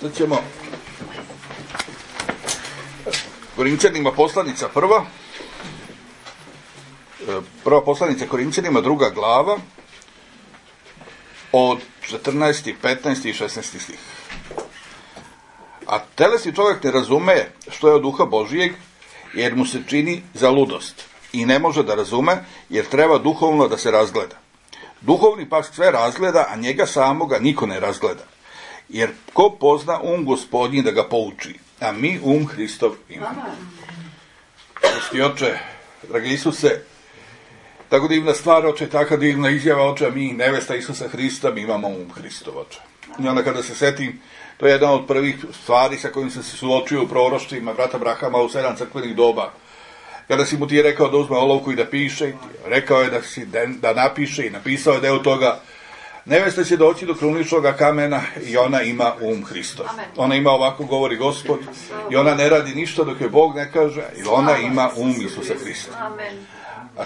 Sad ćemo Korinćanima poslanica prva poslanica Korinćanima, 2. glava, od 14., 15. i 16. stih. A telesni čovjek ne razume što je od duha Božijeg, jer mu se čini za ludost i ne može da razume, jer treba duhovno da se razgleda. Duhovni pak sve razgleda, a njega samoga niko ne razgleda. Jer ko pozna Gospodnji da ga pouči, a mi Hristov imamo. Prosti oče, dragi Isuse, tako divna stvar, oče, taka divna izjava, oče, mi nevesta Isusa Hrista, mi imamo Hristov, oče. I onda kada se setim, to je jedna od prvih stvari sa kojim sam se suočio u proroštvima brata Abrahama u 7 crkvenih doba. Kada si mu ti rekao da uzme olovku i da piše, rekao je da napiše i napisao je deo toga, nevesta će doći do kruničnog kamena i ona ima Hristov. Ona ima, ovako govori Gospod, i ona ne radi ništa dok je Bog ne kaže, i ona ima Isusa Hrista. A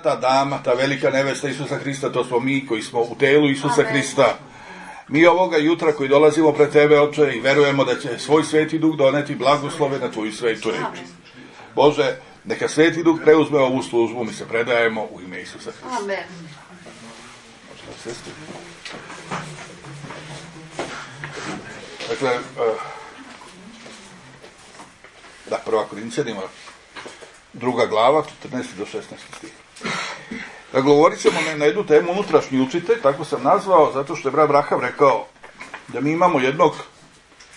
ta dama, ta velika nevesta Isusa Hrista, to smo mi koji smo u telu Isusa Hrista. Mi ovoga jutra koji dolazimo pred tebe, oče, i verujemo da će svoj Sveti Duh doneti blagoslove na tvoju svetu reč. Bože, neka Sveti Duh preuzme ovu službu, mi se predajemo u ime Isusa Hrista. Amen. Dakle, prva Korinćanima, 2. glava, 14. do 16. stih. Dakle, govorit ćemo na jednu temu unutrašnji učitelj, tako sam nazvao, zato što je brat Abraham rekao da mi imamo jednog,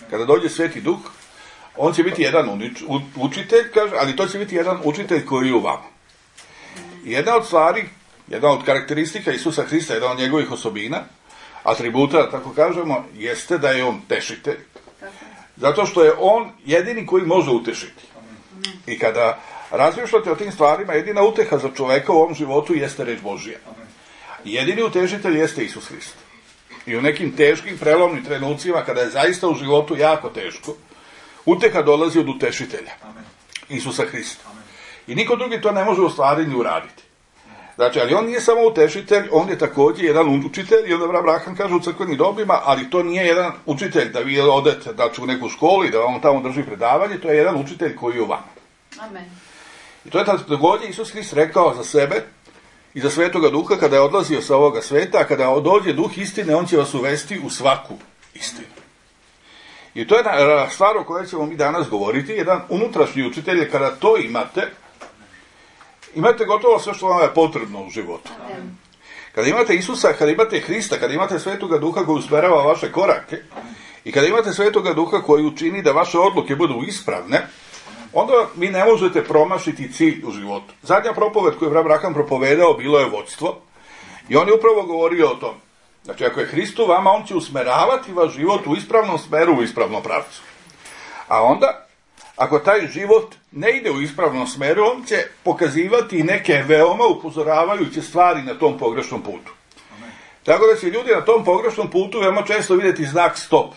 kada dođe Sveti Duh, on će biti jedan učitelj, kaže, ali to će biti jedan učitelj koji je u vama. I jedna od stvari, jedna od karakteristika Isusa Hrista, jedna od njegovih osobina, atributa, tako kažemo, jeste da je on tešitelj. Zato što je on jedini koji može utešiti. I kada razmišljate o tim stvarima, jedina uteha za čoveka u ovom životu jeste reč Božija. Jedini utešitelj jeste Isus Hrist. I u nekim teškim, prelomnim trenucima, kada je zaista u životu jako teško, uteha dolazi od utešitelja, Isusa Hrista. I niko drugi to ne može u stvari ni uraditi. Znači, ali on nije samo utešitelj, on je također jedan učitelj, i onda Abraham kaže u crkvenim dobima, ali to nije jedan učitelj da vi odete, znači, u neku školu i da vam tamo drži predavanje, to je jedan učitelj koji je u vama. Amen. I to je također Isus Hrist rekao za sebe i za Svetoga Duha kada je odlazio sa ovoga sveta, a kada dođe Duh istine, on će vas uvesti u svaku istinu. I to je stvar o kojoj ćemo mi danas govoriti, jedan unutrašnji učitelj, je kada to imate gotovo sve što vam je potrebno u životu. Amen. Kada imate Isusa, kada imate Hrista, kada imate Svetoga Duha koji usmerava vaše korake i kada imate Svetoga Duha koji učini da vaše odluke budu ispravne, onda vi ne možete promašiti cilj u životu. Zadnja propoved koju je Abraham propovedao bilo je vođstvo i on je upravo govorio o tom. Znači, ako je Hrist u vama, on će usmeravati vaš život u ispravnom smeru, u ispravnom pravcu. A onda, ako taj život ne ide u ispravnom smeru, on će pokazivati neke veoma upozoravajuće stvari na tom pogrešnom putu. Tako da će ljudi na tom pogrešnom putu veoma često vidjeti znak stop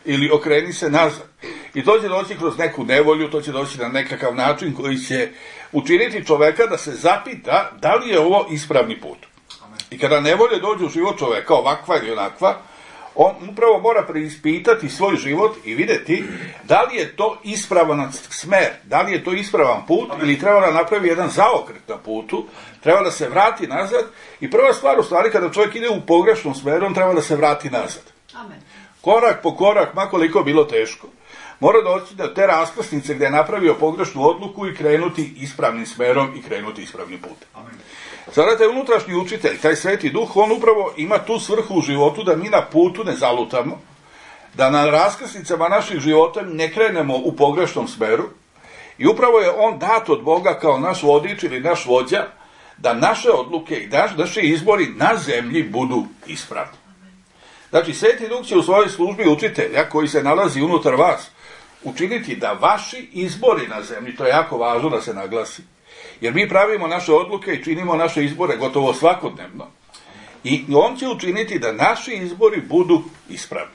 ili okreni se nazad. I to će doći kroz neku nevolju, to će doći na nekakav način koji će učiniti čoveka da se zapita da li je ovo ispravni put. I kada nevolje dođe u život čoveka, ovakva ili onakva, on upravo mora preispitati svoj život i vidjeti da li je to ispravan smer, da li je to ispravan put ili treba da napravi jedan zaokret na putu, treba da se vrati nazad. I prva stvar, u stvari, kada čovjek ide u pogrešnom smeru, on treba da se vrati nazad. Amen. Korak po korak, makoliko bilo teško, mora doći do te raskrsnice gdje je napravio pogrešnu odluku i krenuti ispravnim smerom i krenuti ispravnim putem. Sada taj unutrašnji učitelj, taj Sveti Duh, on upravo ima tu svrhu u životu da mi na putu ne zalutamo, da na raskrsnicama naših života ne krenemo u pogrešnom smeru i upravo je on dat od Boga kao naš vodič ili naš vođa da naše odluke i naši izbori na zemlji budu ispravni. Znači, Sveti Duh će u svojoj službi učitelja koji se nalazi unutar vas učiniti da vaši izbori na zemlji, to je jako važno da se naglasi, jer mi pravimo naše odluke i činimo naše izbore gotovo svakodnevno. I on će učiniti da naši izbori budu ispravni.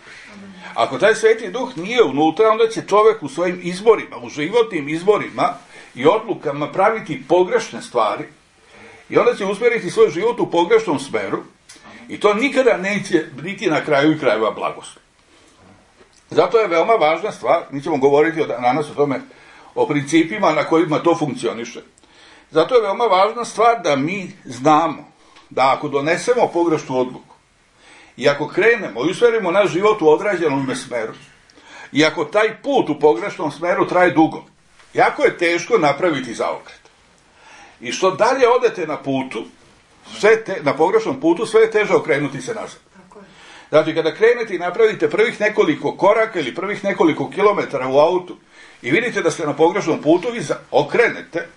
Ako taj Sveti Duh nije unutra, onda će čovjek u svojim izborima, u životnim izborima i odlukama praviti pogrešne stvari i onda će usmjeriti svoj život u pogrešnom smeru i to nikada neće biti na kraju i krajeva blagoslov. Zato je veoma važna stvar, mi ćemo govoriti danas o tome, o principima na kojima to funkcioniše. Zato je veoma važna stvar da mi znamo da ako donesemo pogrešnu odluku i ako krenemo i usmerimo naš život u određenom smeru i ako taj put u pogrešnom smeru traje dugo, jako je teško napraviti zaokret. I što dalje odete na putu, na pogrešnom putu, sve je teže okrenuti se nazad. Znači, kada krenete i napravite prvih nekoliko koraka ili prvih nekoliko kilometara u autu i vidite da ste na pogrešnom putu, vi okrenete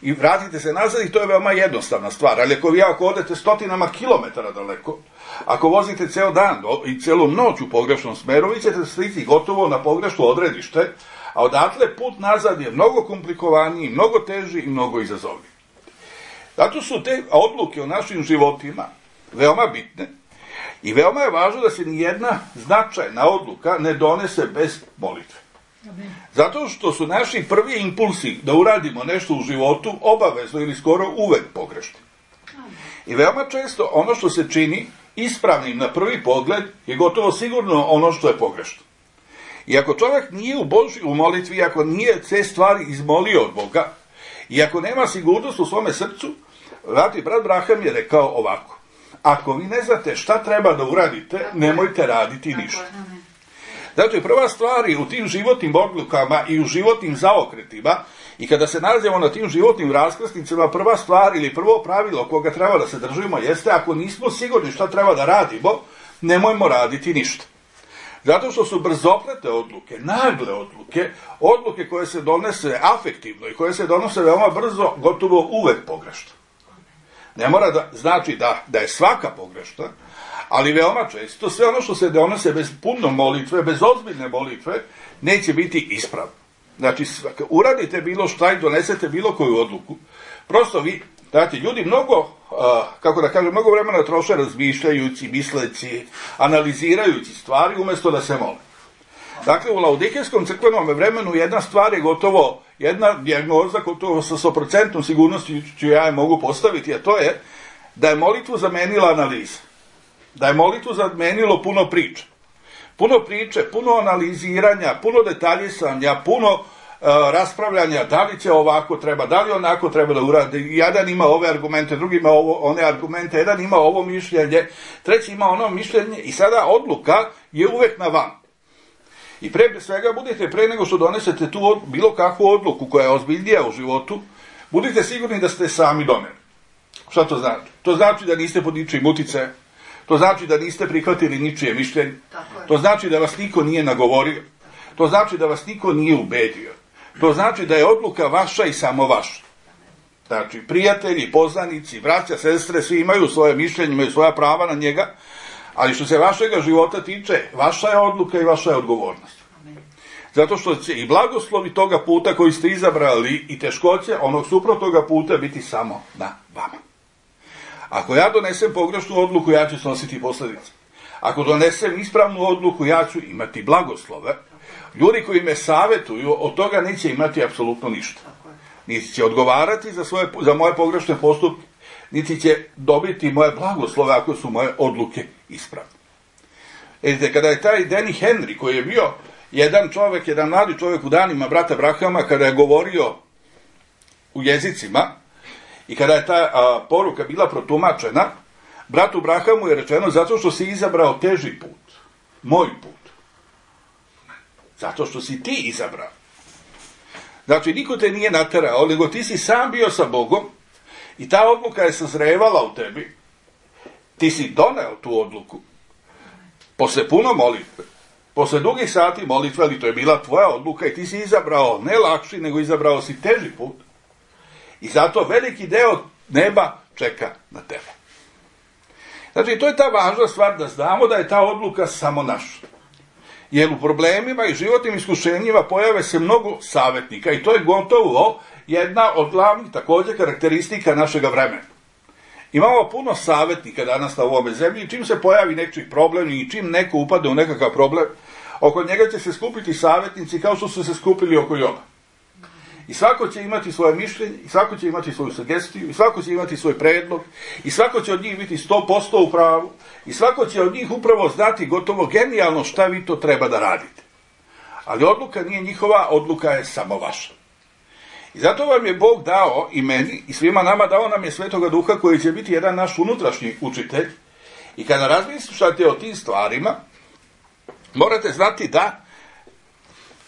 i vratite se nazad i to je veoma jednostavna stvar. Ali ako odete stotinama kilometara daleko, ako vozite ceo dan i celu noć u pogrešnom smeru, vi ćete stići gotovo na pogrešno odredište, a odatle put nazad je mnogo komplikovaniji, mnogo teži i mnogo izazovniji. Zato su te odluke o našim životima veoma bitne i veoma je važno da se nijedna značajna odluka ne donese bez molitve. Zato što su naši prvi impulsi da uradimo nešto u životu obavezno ili skoro uvek pogrešni. I veoma često ono što se čini ispravnim na prvi pogled je gotovo sigurno ono što je pogrešno. I ako čovjek nije u molitvi, ako nije te stvari izmolio od Boga, i ako nema sigurnost u svome srcu, brat Braham je rekao ovako: ako vi ne znate šta treba da uradite, nemojte raditi ništa. Znači, prva stvar je u tim životnim odlukama i u životnim zaokretima, i kada se nalazimo na tim životnim raskrsnicama, prva stvar ili prvo pravilo koga treba da se držimo jeste: ako nismo sigurni šta treba da radimo, nemojmo raditi ništa. Zato što su brzoplete odluke, nagle odluke, odluke koje se donese afektivno i koje se donose veoma brzo, gotovo uvek pogrešno. Ne mora da znači da je svaka pogrešna, ali veoma često sve ono što se donose bez puno molitve, bez ozbiljne molitve, neće biti ispravno. Znači, uradite bilo šta i donesete bilo koju odluku. Prosto vi, znači, ljudi mnogo, mnogo vremena troše razmišljajući, misleći, analizirajući stvari umjesto da se mole. Dakle, u laodikejskom crkvenom vremenu jedna stvar je gotovo, jedna dijagnoza gotovo sa 100% sigurnosti ću ja je mogu postaviti, a to je da je molitvu zamenila analiza. Da je molitvu zamenilo puno priče. Puno priče, puno analiziranja, puno detaljisanja, puno raspravljanja, da li će ovako treba, da li onako treba da uradi. Jedan ima ove argumente, drugi ima one argumente, jedan ima ovo mišljenje, treći ima ono mišljenje i sada odluka je uvek na vam. I pre svega budite, pre nego što donesete tu bilo kakvu odluku koja je ozbiljnija u životu, budite sigurni da ste sami doneli. Šta to znači? To znači da niste pod ničijim uticajem. To znači da niste prihvatili ničije mišljenje. To znači da vas niko nije nagovorio. To znači da vas niko nije ubedio. To znači da je odluka vaša i samo vaša. Znači, prijatelji, poznanici, braća, sestre, svi imaju svoje mišljenje, imaju svoja prava na njega, ali što se vašega života tiče, vaša je odluka i vaša je odgovornost. Zato što će i blagoslovi toga puta koji ste izabrali i teškoće onog suprotnoga puta biti samo na vama. Ako ja donesem pogrešnu odluku, ja ću snositi posljedice. Ako donesem ispravnu odluku, ja ću imati blagoslove. Ljudi koji me savjetuju, od toga neće imati apsolutno ništa. Niti će odgovarati za moje pogrešne postupke, niti će dobiti moje blagoslove ako su moje odluke ispravne. Vidite, kada je taj Denny Henry, koji je bio jedan mladi čovjek u danima brata Brahama, kada je govorio u jezicima, i kada je ta poruka bila protumačena, bratu Brahamu je rečeno: zato što si izabrao teži put, moj put. Zato što si ti izabrao. Znači, niko te nije naterao, nego ti si sam bio sa Bogom i ta odluka je sazrevala u tebi. Ti si doneo tu odluku posle puno molitve, posle dugih sati molitve, ali to je bila tvoja odluka i ti si izabrao ne lakši, nego izabrao si teži put. I zato veliki deo neba čeka na tebe. Znači, to je ta važna stvar da znamo da je ta odluka samo naša. Jer u problemima i životnim iskušenjima pojave se mnogo savjetnika i to je gotovo jedna od glavnih također karakteristika našega vremena. Imamo puno savjetnika danas na ovome zemlji i čim se pojavi neki problem i čim neko upade u nekakav problem, oko njega će se skupiti savjetnici kao što su se skupili oko Jova. I svako će imati svoje mišljenje, i svako će imati svoju sugestiju, i svako će imati svoj predlog, i svako će od njih biti 100% u pravu, i svako će od njih upravo znati gotovo genijalno šta vi to treba da radite. Ali odluka nije njihova, odluka je samo vaša. I zato vam je Bog dao i meni i svima nama, dao nam je Svetoga Duha koji će biti jedan naš unutrašnji učitelj. I kada razmišljate o tim stvarima, morate znati da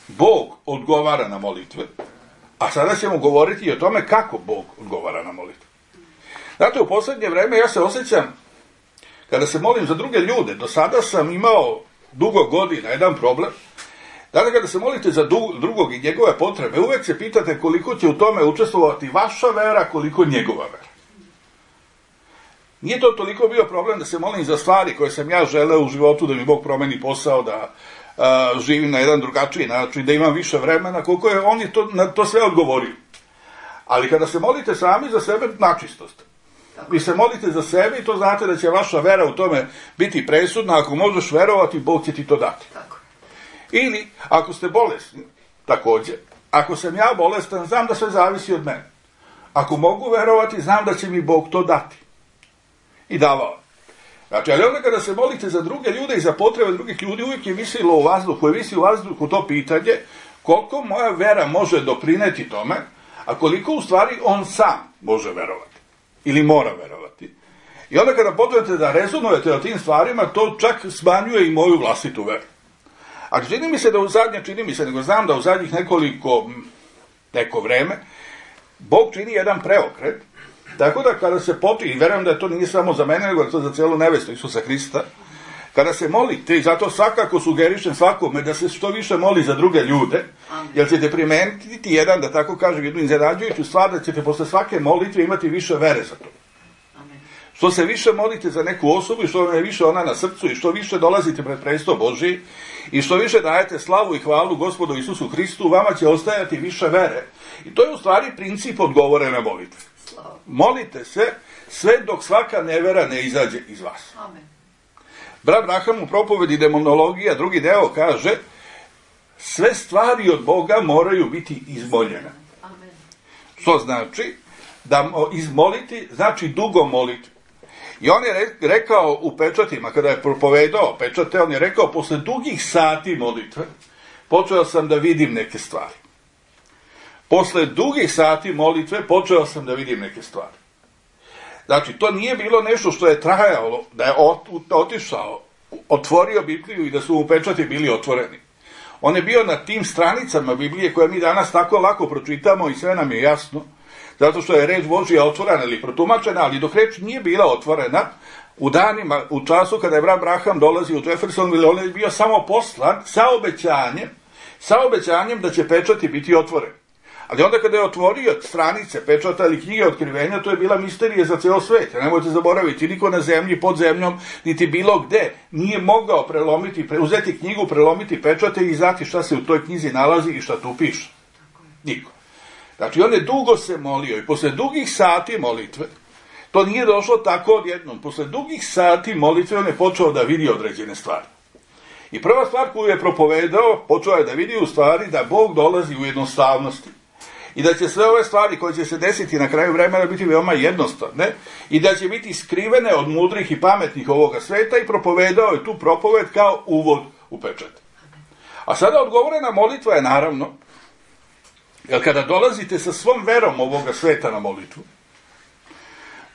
Bog odgovara na molitve, a sada ćemo govoriti i o tome kako Bog odgovara na molitve. Znate, u posljednje vreme ja se osjećam, kada se molim za druge ljude, do sada sam imao dugo godina jedan problem. Dakle, kada se molite za drugog i njegove potrebe, uvek se pitate koliko će u tome učestvovati vaša vera, koliko njegova vera. Nije to toliko bio problem da se molim za stvari koje sam ja želeo u životu, da mi Bog promeni posao, da živim na jedan drugačiji način, da imam više vremena, koliko je on na to sve odgovorio. Ali kada se molite sami za sebe, načistost. Vi se molite za sebe i to znate da će vaša vera u tome biti presudna. Ako možeš verovati, Bog će ti to dati. Tako. Ili, ako ste bolesni, također, ako sam ja bolestan, znam da sve zavisi od mene. Ako mogu verovati, znam da će mi Bog to dati. I davao. Znači, ali onda kada se molite za druge ljude i za potrebe drugih ljudi, uvijek je visilo u vazduhu, je visi u vazduhu to pitanje koliko moja vera može doprineti tome, a koliko u stvari on sam može verovati. Ili mora verovati. I onda kada počnete da rezonujete o tim stvarima, to čak smanjuje i moju vlastitu veru. A čini mi se, nego znam da u zadnjih neko vreme, Bog čini jedan preokret, tako da kada se počne, i verujem da to nije samo za mene, nego je to za cijelu nevestu Isusa Hrista, kada se molite, i zato svakako sugerišem svakome da se što više moli za druge ljude, jer ćete primeniti jedan, da tako kažem, jednu iznenađujuću stvar, da ćete posle svake molitve imati više vere za to. Što se više molite za neku osobu i što vam je više ona na srcu i što više dolazite pred presto Božji i što više dajete slavu i hvalu Gospodu Isusu Hristu, vama će ostajati više vere. I to je u stvari princip odgovorene molitve. Molite se sve dok svaka nevera ne izađe iz vas. Amen. Brat Braham u propovedi Demonologija, drugi deo, kaže sve stvari od Boga moraju biti izmoljene. Amen. Što znači da izmoliti, znači dugo moliti. I on je rekao u pečatima, kada je propovedao pečate, on je rekao, posle dugih sati molitve, počeo sam da vidim neke stvari. Posle dugih sati molitve, počeo sam da vidim neke stvari. Znači, to nije bilo nešto što je trajalo, da je otišao, otvorio Bibliju i da su mu pečati bili otvoreni. On je bio na tim stranicama Biblije koje mi danas tako lako pročitamo i sve nam je jasno, zato što je reč Božja otvorena ili protumačena, ali dok reč nije bila otvorena, u danima, u času kada je brat Braham dolazi u Jeffersonville, on je bio samo poslan sa obećanjem da će pečati biti otvoreni. Ali onda kada je otvorio stranice pečata ili knjige otkrivenja, to je bila misterija za ceo svet. Nemojte zaboraviti, niko na zemlji, pod zemljom, niti bilo gde nije mogao uzeti knjigu, prelomiti pečate i znati šta se u toj knjizi nalazi i šta tu piše. Niko. Znači, on je dugo se molio i posle dugih sati molitve, to nije došlo tako odjednom, posle dugih sati molitve on je počeo da vidi određene stvari. I prva stvar koju je propovedao, počeo je da vidi u stvari da Bog dolazi u jednostavnosti i da će sve ove stvari koje će se desiti na kraju vremena biti veoma jednostavne i da će biti skrivene od mudrih i pametnih ovoga sveta i propovedao je tu propoved kao uvod u pečat. A sada odgovorena molitva je naravno, jer kada dolazite sa svom verom ovoga sveta na molitvu,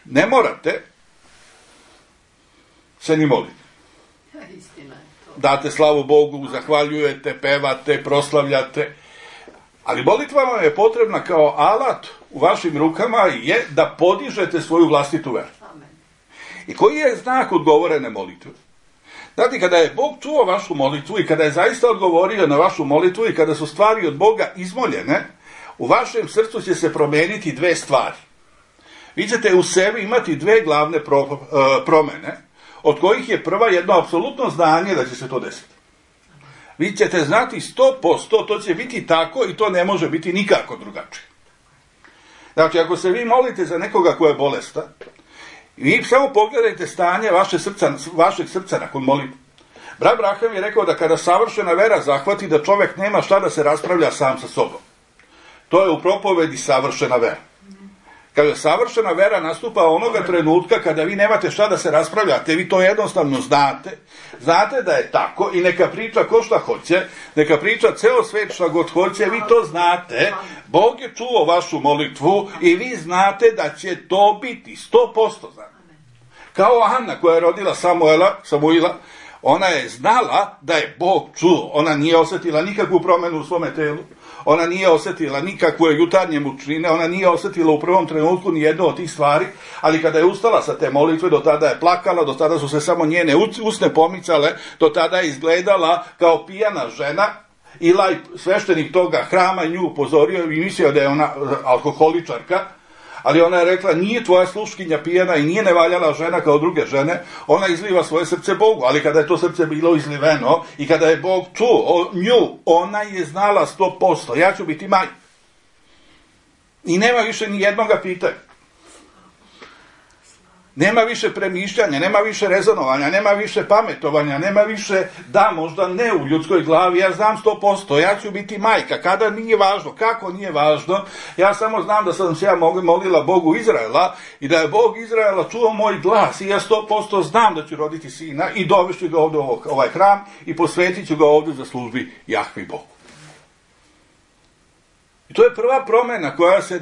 ne morate se ni moliti. Istina je to. Date slavu Bogu, zahvaljujete, pevate, proslavljate, ali molitva vam je potrebna kao alat u vašim rukama je da podižete svoju vlastitu veru. Amen. I koji je znak odgovorene molitve? Znate, kada je Bog čuo vašu molitvu i kada je zaista odgovorio na vašu molitvu i kada su stvari od Boga izmoljene, u vašem srcu će se promeniti dve stvari. Vi ćete u sebi imati dve glavne promene, od kojih je prva jedno apsolutno znanje da će se to desiti. Vi ćete znati 100%, to će biti tako i to ne može biti nikako drugačije. Znači, ako se vi molite za nekoga ko je bolestan, vi samo pogledajte stanje vašeg srca nakon molitve. Brat Braham je rekao da kada savršena vera zahvati, da čovjek nema šta da se raspravlja sam sa sobom. To je u propovedi savršena vera. Kaže, savršena vera nastupa onoga trenutka kada vi nemate šta da se raspravljate, vi to jednostavno znate. Znate da je tako i neka priča ko šta hoće, neka priča ceo svet šta god hoće, vi to znate. Bog je čuo vašu molitvu i vi znate da će to biti 100%. Znate. Kao Ana koja je rodila Samuila, ona je znala da je Bog čuo. Ona nije osjetila nikakvu promjenu u svome telu. Ona nije osjetila nikakve jutarnje mučnine, ona nije osjetila u prvom trenutku ni jednu od tih stvari, ali kada je ustala sa te molitve, do tada je plakala, do tada su se samo njene usne pomicale, do tada je izgledala kao pijana žena. Ilaj, sveštenik toga hrama, nju upozorio i mislio da je ona alkoholičarka, ali ona je rekla, nije tvoja sluškinja pijana i nije nevaljala žena kao druge žene, ona izliva svoje srce Bogu, ali kada je to srce bilo izliveno i kada je Bog čuo nju, ona je znala 100%, ja ću biti majka. I nema više ni jednoga pitanja. Nema više premišljanja, nema više rezonovanja, nema više pametovanja, nema više da, možda ne u ljudskoj glavi, ja znam 100%, ja ću biti majka, kada nije važno, kako nije važno, ja samo znam da sam se ja molila Bogu Izraela i da je Bog Izraela čuo moj glas i ja 100% znam da ću roditi sina i dovešću ga ovdje u ovaj hram i posvetit ću ga ovdje za službi Jahvi Bogu. I to je prva promjena koja se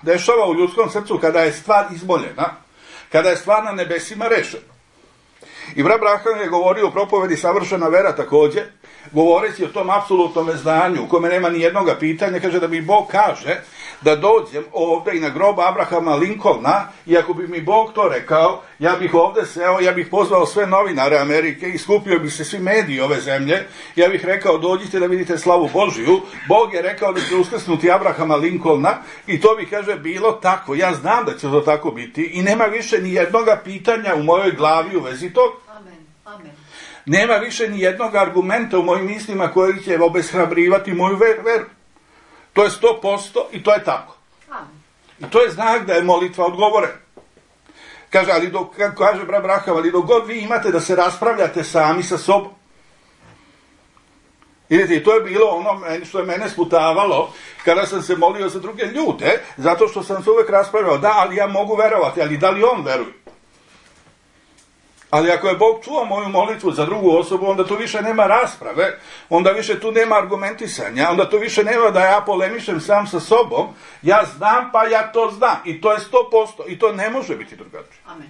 dešava u ljudskom srcu kada je stvar izmoljena, kada je stvar na nebesima rešena. I brat Branham je govorio u propovedi Savršena vera također, govoreći o tom apsolutnom znanju u kome nema ni jednoga pitanja, kaže da mi Bog kaže da dođem ovdje i na grob Abrahama Lincolna i ako bi mi Bog to rekao, ja bih ovdje seo, ja bih pozvao sve novinare Amerike i skupio bi se svi mediji ove zemlje, ja bih rekao dođite da vidite slavu Božiju, Bog je rekao da će uskrsnuti Abrahama Lincolna i to bi, kaže, bilo tako, ja znam da će to tako biti i nema više ni jednoga pitanja u mojoj glavi u vezi tog. Amen. Nema više ni jednog argumenta u mojim mislima koji će obeshrabrivati moju veru. To je 100% i to je tako. Amen. I to je znak da je molitva odgovorena. Kaže, ali kaže brat Branham, ali dok god vi imate da se raspravljate sami sa sobom. Vidite, i to je bilo ono što je mene sputavalo kada sam se molio za druge ljude, zato što sam se uvek raspravljao, da, ali ja mogu verovati, ali da li on veruje? Ali ako je Bog čuo moju molitvu za drugu osobu, onda tu više nema rasprave, onda više tu nema argumentisanja, onda tu više nema da ja polemišem sam sa sobom, ja znam pa ja to znam i to je 100% i to ne može biti drugačije. Amen.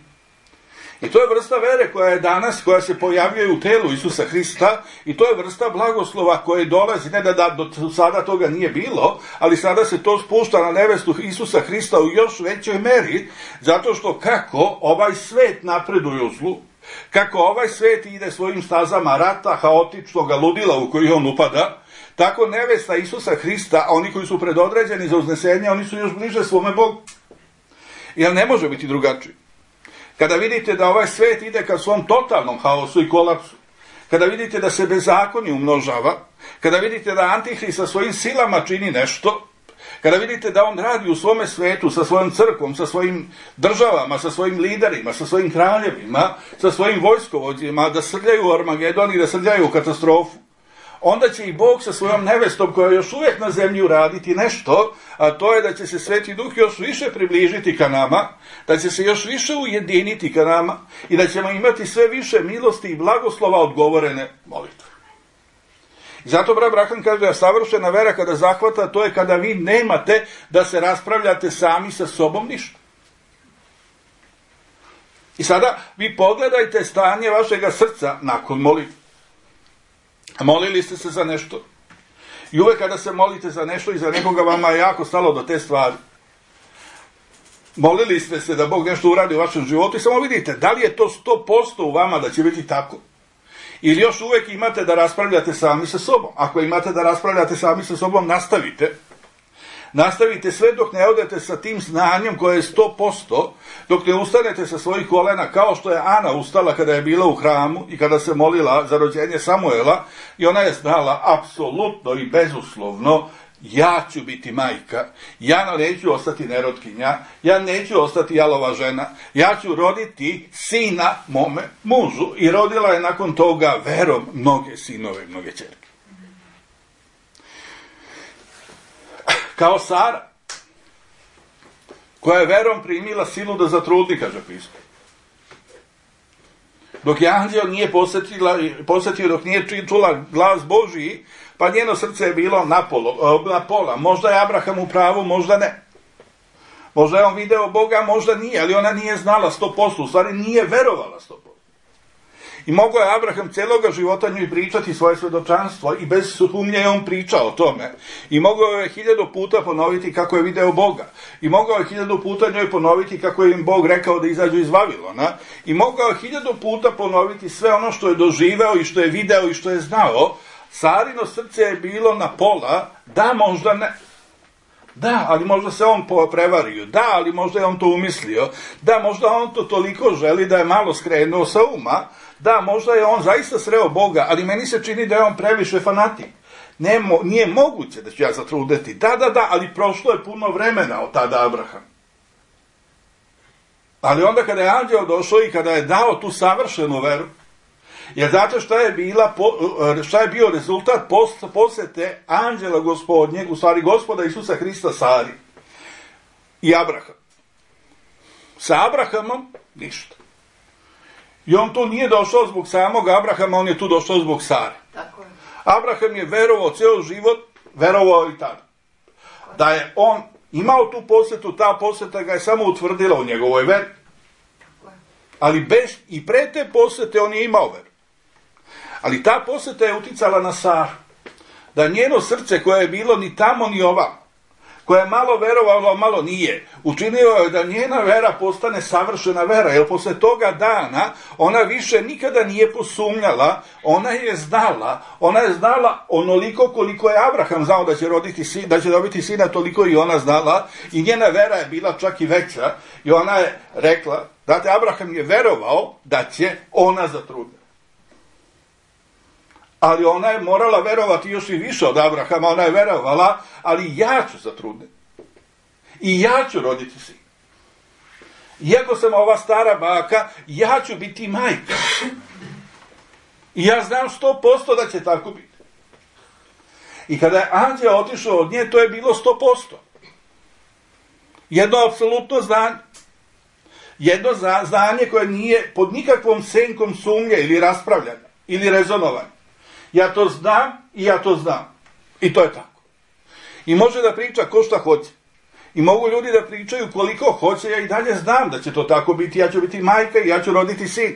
I to je vrsta vere koja je danas, koja se pojavljuje u telu Isusa Hrista i to je vrsta blagoslova koje dolazi, ne da do sada toga nije bilo, ali sada se to spušta na nevestu Isusa Hrista u još većoj meri, zato što kako ovaj svet napreduje u zlu, kako ovaj svet ide svojim stazama rata, haotičnog ludila u koji on upada, tako nevesta Isusa Hrista, oni koji su predodređeni za uznesenje, oni su još bliže svome Bogu. Jer ne može biti drugačije. Kada vidite da ovaj svet ide ka svom totalnom haosu i kolapsu, kada vidite da se bezakonje umnožava, kada vidite da Antihrist sa svojim silama čini nešto, kada vidite da on radi u svome svetu sa svojom crkvom, sa svojim državama, sa svojim liderima, sa svojim kraljevima, sa svojim vojskovođima, da srljaju u Armagedon i da srljaju u katastrofu, onda će i Bog sa svojom nevestom koja je još uvijek na zemlji uraditi nešto, a to je da će se Sveti Duh još više približiti ka nama, da će se još više ujediniti ka nama i da ćemo imati sve više milosti i blagoslova odgovorene molitve. I zato brat Branham kaže da savršena vera kada zahvata, to je kada vi nemate da se raspravljate sami sa sobom ništa. I sada vi pogledajte stanje vašega srca nakon molitve. Molili ste se za nešto. I uvek kada se molite za nešto i za nekoga, vama je jako stalo do te stvari. Molili ste se da Bog nešto uradi u vašem životu i samo vidite, da li je to 100% u vama da će biti tako? Ili još uvek imate da raspravljate sami sa sobom? Ako imate da raspravljate sami sa sobom, nastavite. Nastavite sve dok ne odete sa tim znanjem koje je 100%, dok ne ustanete sa svojih kolena, kao što je Ana ustala kada je bila u hramu i kada se molila za rođenje Samuela, i ona je znala apsolutno i bezuslovno, ja ću biti majka, ja neću ostati nerotkinja, ja neću ostati jalova žena, ja ću roditi sina mome mužu, i rodila je nakon toga verom mnoge sinove, mnoge ćerke. Kao Sara. koja je verom primila silu da zatrudni, kaže pismo. Dok je anđeo nije posjetio, dok nije čula glas Božiji, pa njeno srce je bilo na pola. Možda je Abraham u pravu, možda ne. Možda je on video Boga, možda nije, ali ona nije znala 100%, u stvari nije verovala 100%. I mogao je Abraham cijeloga života njoj pričati svoje svjedočanstvo i bez sumnje je on pričao o tome. I mogao je 1000 puta ponoviti kako je video Boga. I mogao je 1000 puta njoj ponoviti kako je im Bog rekao da izađu iz Vavilona. I mogao je 1000 puta ponoviti sve ono što je doživeo i što je video i što je znao. Sarino srce je bilo na pola, da, možda ne. Da, ali možda se on prevario. Da, ali možda je on to umislio. Da, možda on to toliko želi da je malo skrenuo sa uma. Da, možda je on zaista sreo Boga, ali meni se čini da je on previše fanatik. Nije moguće da ću ja zatrudneti. Da, ali prošlo je puno vremena od tada Abraham. Ali onda kada je anđeo došao i kada je dao tu savršenu veru, jer znate šta je bio rezultat posjete anđela Gospodnjeg, u stvari Gospoda Isusa Hrista Sari i Abraham. Sa Abrahamom ništa. I on tu nije došao zbog samog Abrahama, on je tu došao zbog Sare. Tako je. Abraham je verovao cijel život, verovao i tada. Da je on imao tu posjetu, ta posjeta ga je samo utvrdila u njegovoj veri. Ali i pre te posjete on je imao veru. Ali ta posjeta je uticala na Saru. Da njeno srce koje je bilo ni tamo ni ovamo, koja je malo verovala, malo nije, učinio je da njena vera postane savršena vera, jer posle toga dana ona više nikada nije posumnjala, ona je znala onoliko koliko je Abraham znao da će dobiti sina, toliko i ona znala, i njena vera je bila čak i veća, i ona je rekla, znate, Abraham je verovao da će ona zatrudniti. Ali ona je morala verovati još i više od Abrahama, ona je verovala, ali ja ću zatrudniti. I ja ću roditi sin. Iako sam ova stara baka, ja ću biti majka. I ja znam 100% da će tako biti. I kada je anđeo otišao od nje, to je bilo 100%. Jedno apsolutno znanje. Jedno znanje koje nije pod nikakvom senkom sumnje ili raspravljanja ili rezonovanja. Ja to znam i ja to znam. I to je tako. I može da priča ko šta hoće. I mogu ljudi da pričaju koliko hoće, ja i dalje znam da će to tako biti, ja ću biti majka i ja ću roditi sin.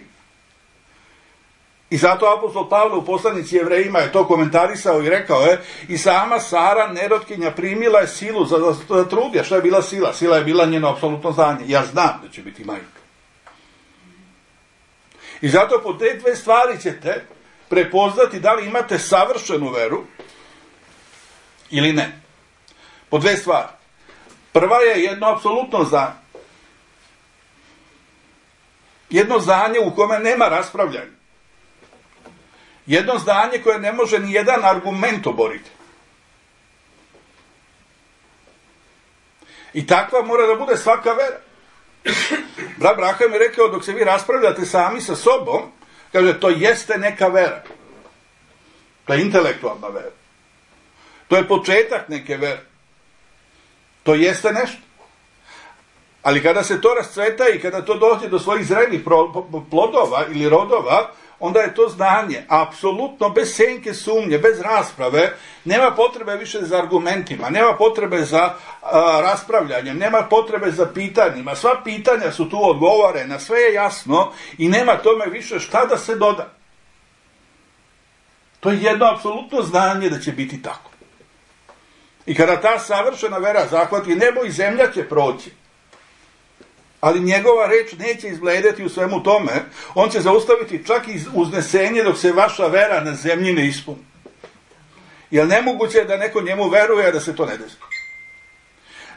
I zato apostol Pavle u poslanici Jevrejima je to komentarisao i rekao je, i sama Sara, nerotkinja, primila je silu za trudje. Šta je bila sila? Sila je bila njeno apsolutno znanje. Ja znam da će biti majka. I zato po te dve stvari ćete prepoznati da li imate savršenu veru ili ne. Po dve stvari. Prva je jedno apsolutno znanje. Jedno znanje u kome nema raspravljanja. Jedno znanje koje ne može ni jedan argument oboriti. I takva mora da bude svaka vera. Brat Braham je rekao, dok se vi raspravljate sami sa sobom, kaže, to jeste neka vera. To je intelektualna vera. To je početak neke vere. To jeste nešto. Ali kada se to rascveta i kada to dođe do svojih zrelih plodova ili rodova, onda je to znanje apsolutno bez senke sumnje, bez rasprave, nema potrebe više za argumentima, nema potrebe za raspravljanjem, nema potrebe za pitanjima, sva pitanja su tu odgovorena, sve je jasno i nema tome više šta da se doda. To je jedno apsolutno znanje da će biti tako. I kada ta savršena vera zahvati nebo i zemlja će proći, ali njegova reč neće izbledeti u svemu tome, on će zaustaviti čak i uznesenje dok se vaša vera na zemlji ne ispuni. Jer nemoguće je da neko njemu veruje, a da se to ne desi.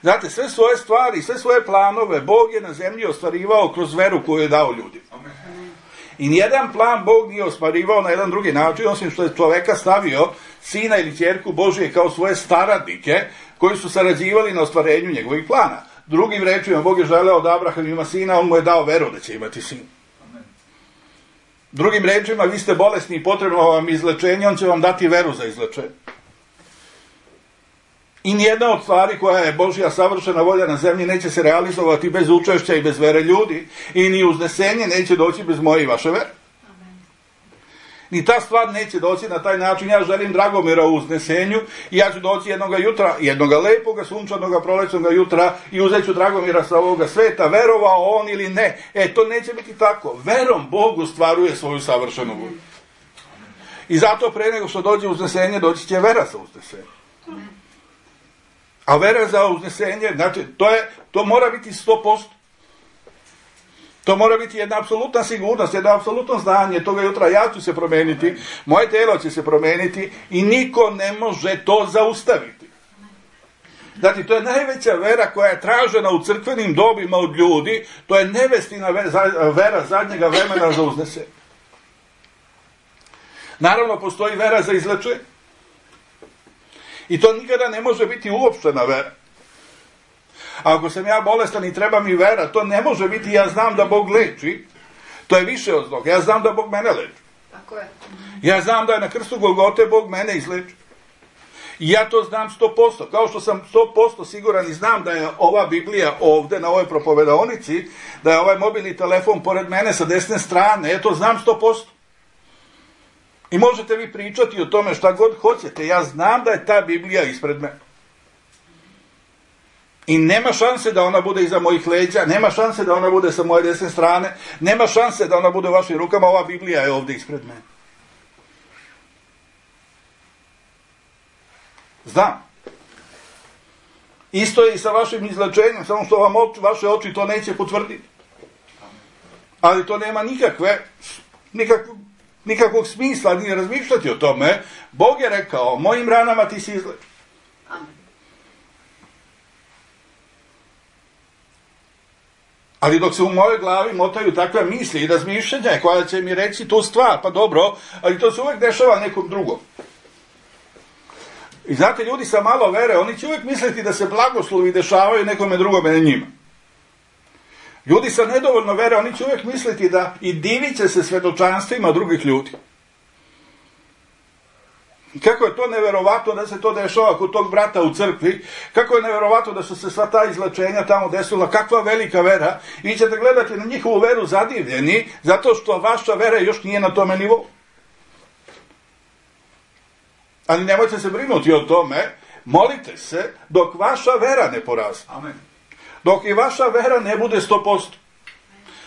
Znate, sve svoje stvari, sve svoje planove Bog je na zemlji ostvarivao kroz veru koju je dao ljudima. I nijedan plan Bog nije ostvarivao na jedan drugi način, osim što je čoveka stavio, sina ili ćerku Božije, kao svoje staradnike, koji su sarađivali na ostvarenju njegovih plana. Drugim rečima, Bog je želeo da Abraham ima sina, on mu je dao veru da će imati sin. Drugim rečima, vi ste bolesni i potrebno vam izlečenje, on će vam dati veru za izlečenje. I nijedna od stvari koja je Božja savršena volja na zemlji neće se realizovati bez učešća i bez vere ljudi. I ni uznesenje neće doći bez moje i vaše vere. Ni ta stvar neće doći na taj način. Ja želim Dragomira u uznesenju i ja ću doći jednoga jutra, jednoga lepoga, sunčanoga, prolećnoga jutra i uzet ću Dragomira sa ovoga sveta, verovao on ili ne. To neće biti tako. Verom Bog ostvaruje svoju savršenu volju. I zato pre nego što dođe uznesenje, doći će vera za uznesenje. A vera za uznesenje, znači, to mora biti 100%. To mora biti jedna apsolutna sigurnost, jedno apsolutno znanje. Toga jutra ja ću se promeniti, moje telo će se promeniti i niko ne može to zaustaviti. Znači, to je najveća vera koja je tražena u crkvenim dobima od ljudi. To je nevestina vera zadnjega vremena za uznesenje. Naravno, postoji vera za izlečenje. I to nikada ne može biti uopštena vera. A ako sam ja bolestan i treba mi vera, to ne može biti ja znam da Bog leči. To je više od toga. Ja znam da Bog mene leči. Tako je. Ja znam da je na krstu Golgote Bog mene izleči. I ja to znam 100%. Kao što sam 100% siguran i znam da je ova Biblija ovde na ovoj propovedaonici, da je ovaj mobilni telefon pored mene sa desne strane, to znam 100%. I možete vi pričati o tome šta god hoćete. Ja znam da je ta Biblija ispred mene. I nema šanse da ona bude iza mojih leđa, nema šanse da ona bude sa moje desne strane, nema šanse da ona bude u vašim rukama, ova Biblija je ovdje ispred mene. Znam. Isto je i sa vašim izlečenjem, samo što vam vaše oči to neće potvrditi. Ali to nema nikakvog smisla ni razmišljati o tome. Bog je rekao, mojim ranama ti si izlečen. Amen. Ali dok se u mojoj glavi motaju takve misli i razmišljanja koja će mi reći tu stvar, pa dobro, ali to se uvijek dešava nekom drugom. I znate, ljudi sa malo vere, oni će uvijek misliti da se blagoslovi dešavaju nekome drugome, ne njima. Ljudi sa nedovoljno vere, oni će uvijek misliti da i divit će se svedočanstvima drugih ljudi. Kako je to neverovatno da se to dešava kod tog brata u crkvi, kako je neverovatno da su se sva ta izlečenja tamo desila, kakva velika vera, i vi ćete gledati na njihovu veru zadivljeni, zato što vaša vera još nije na tome nivou. Ali nemojte se brinuti o tome, molite se dok vaša vera ne poraste. Amen. Dok i vaša vera ne bude 100%.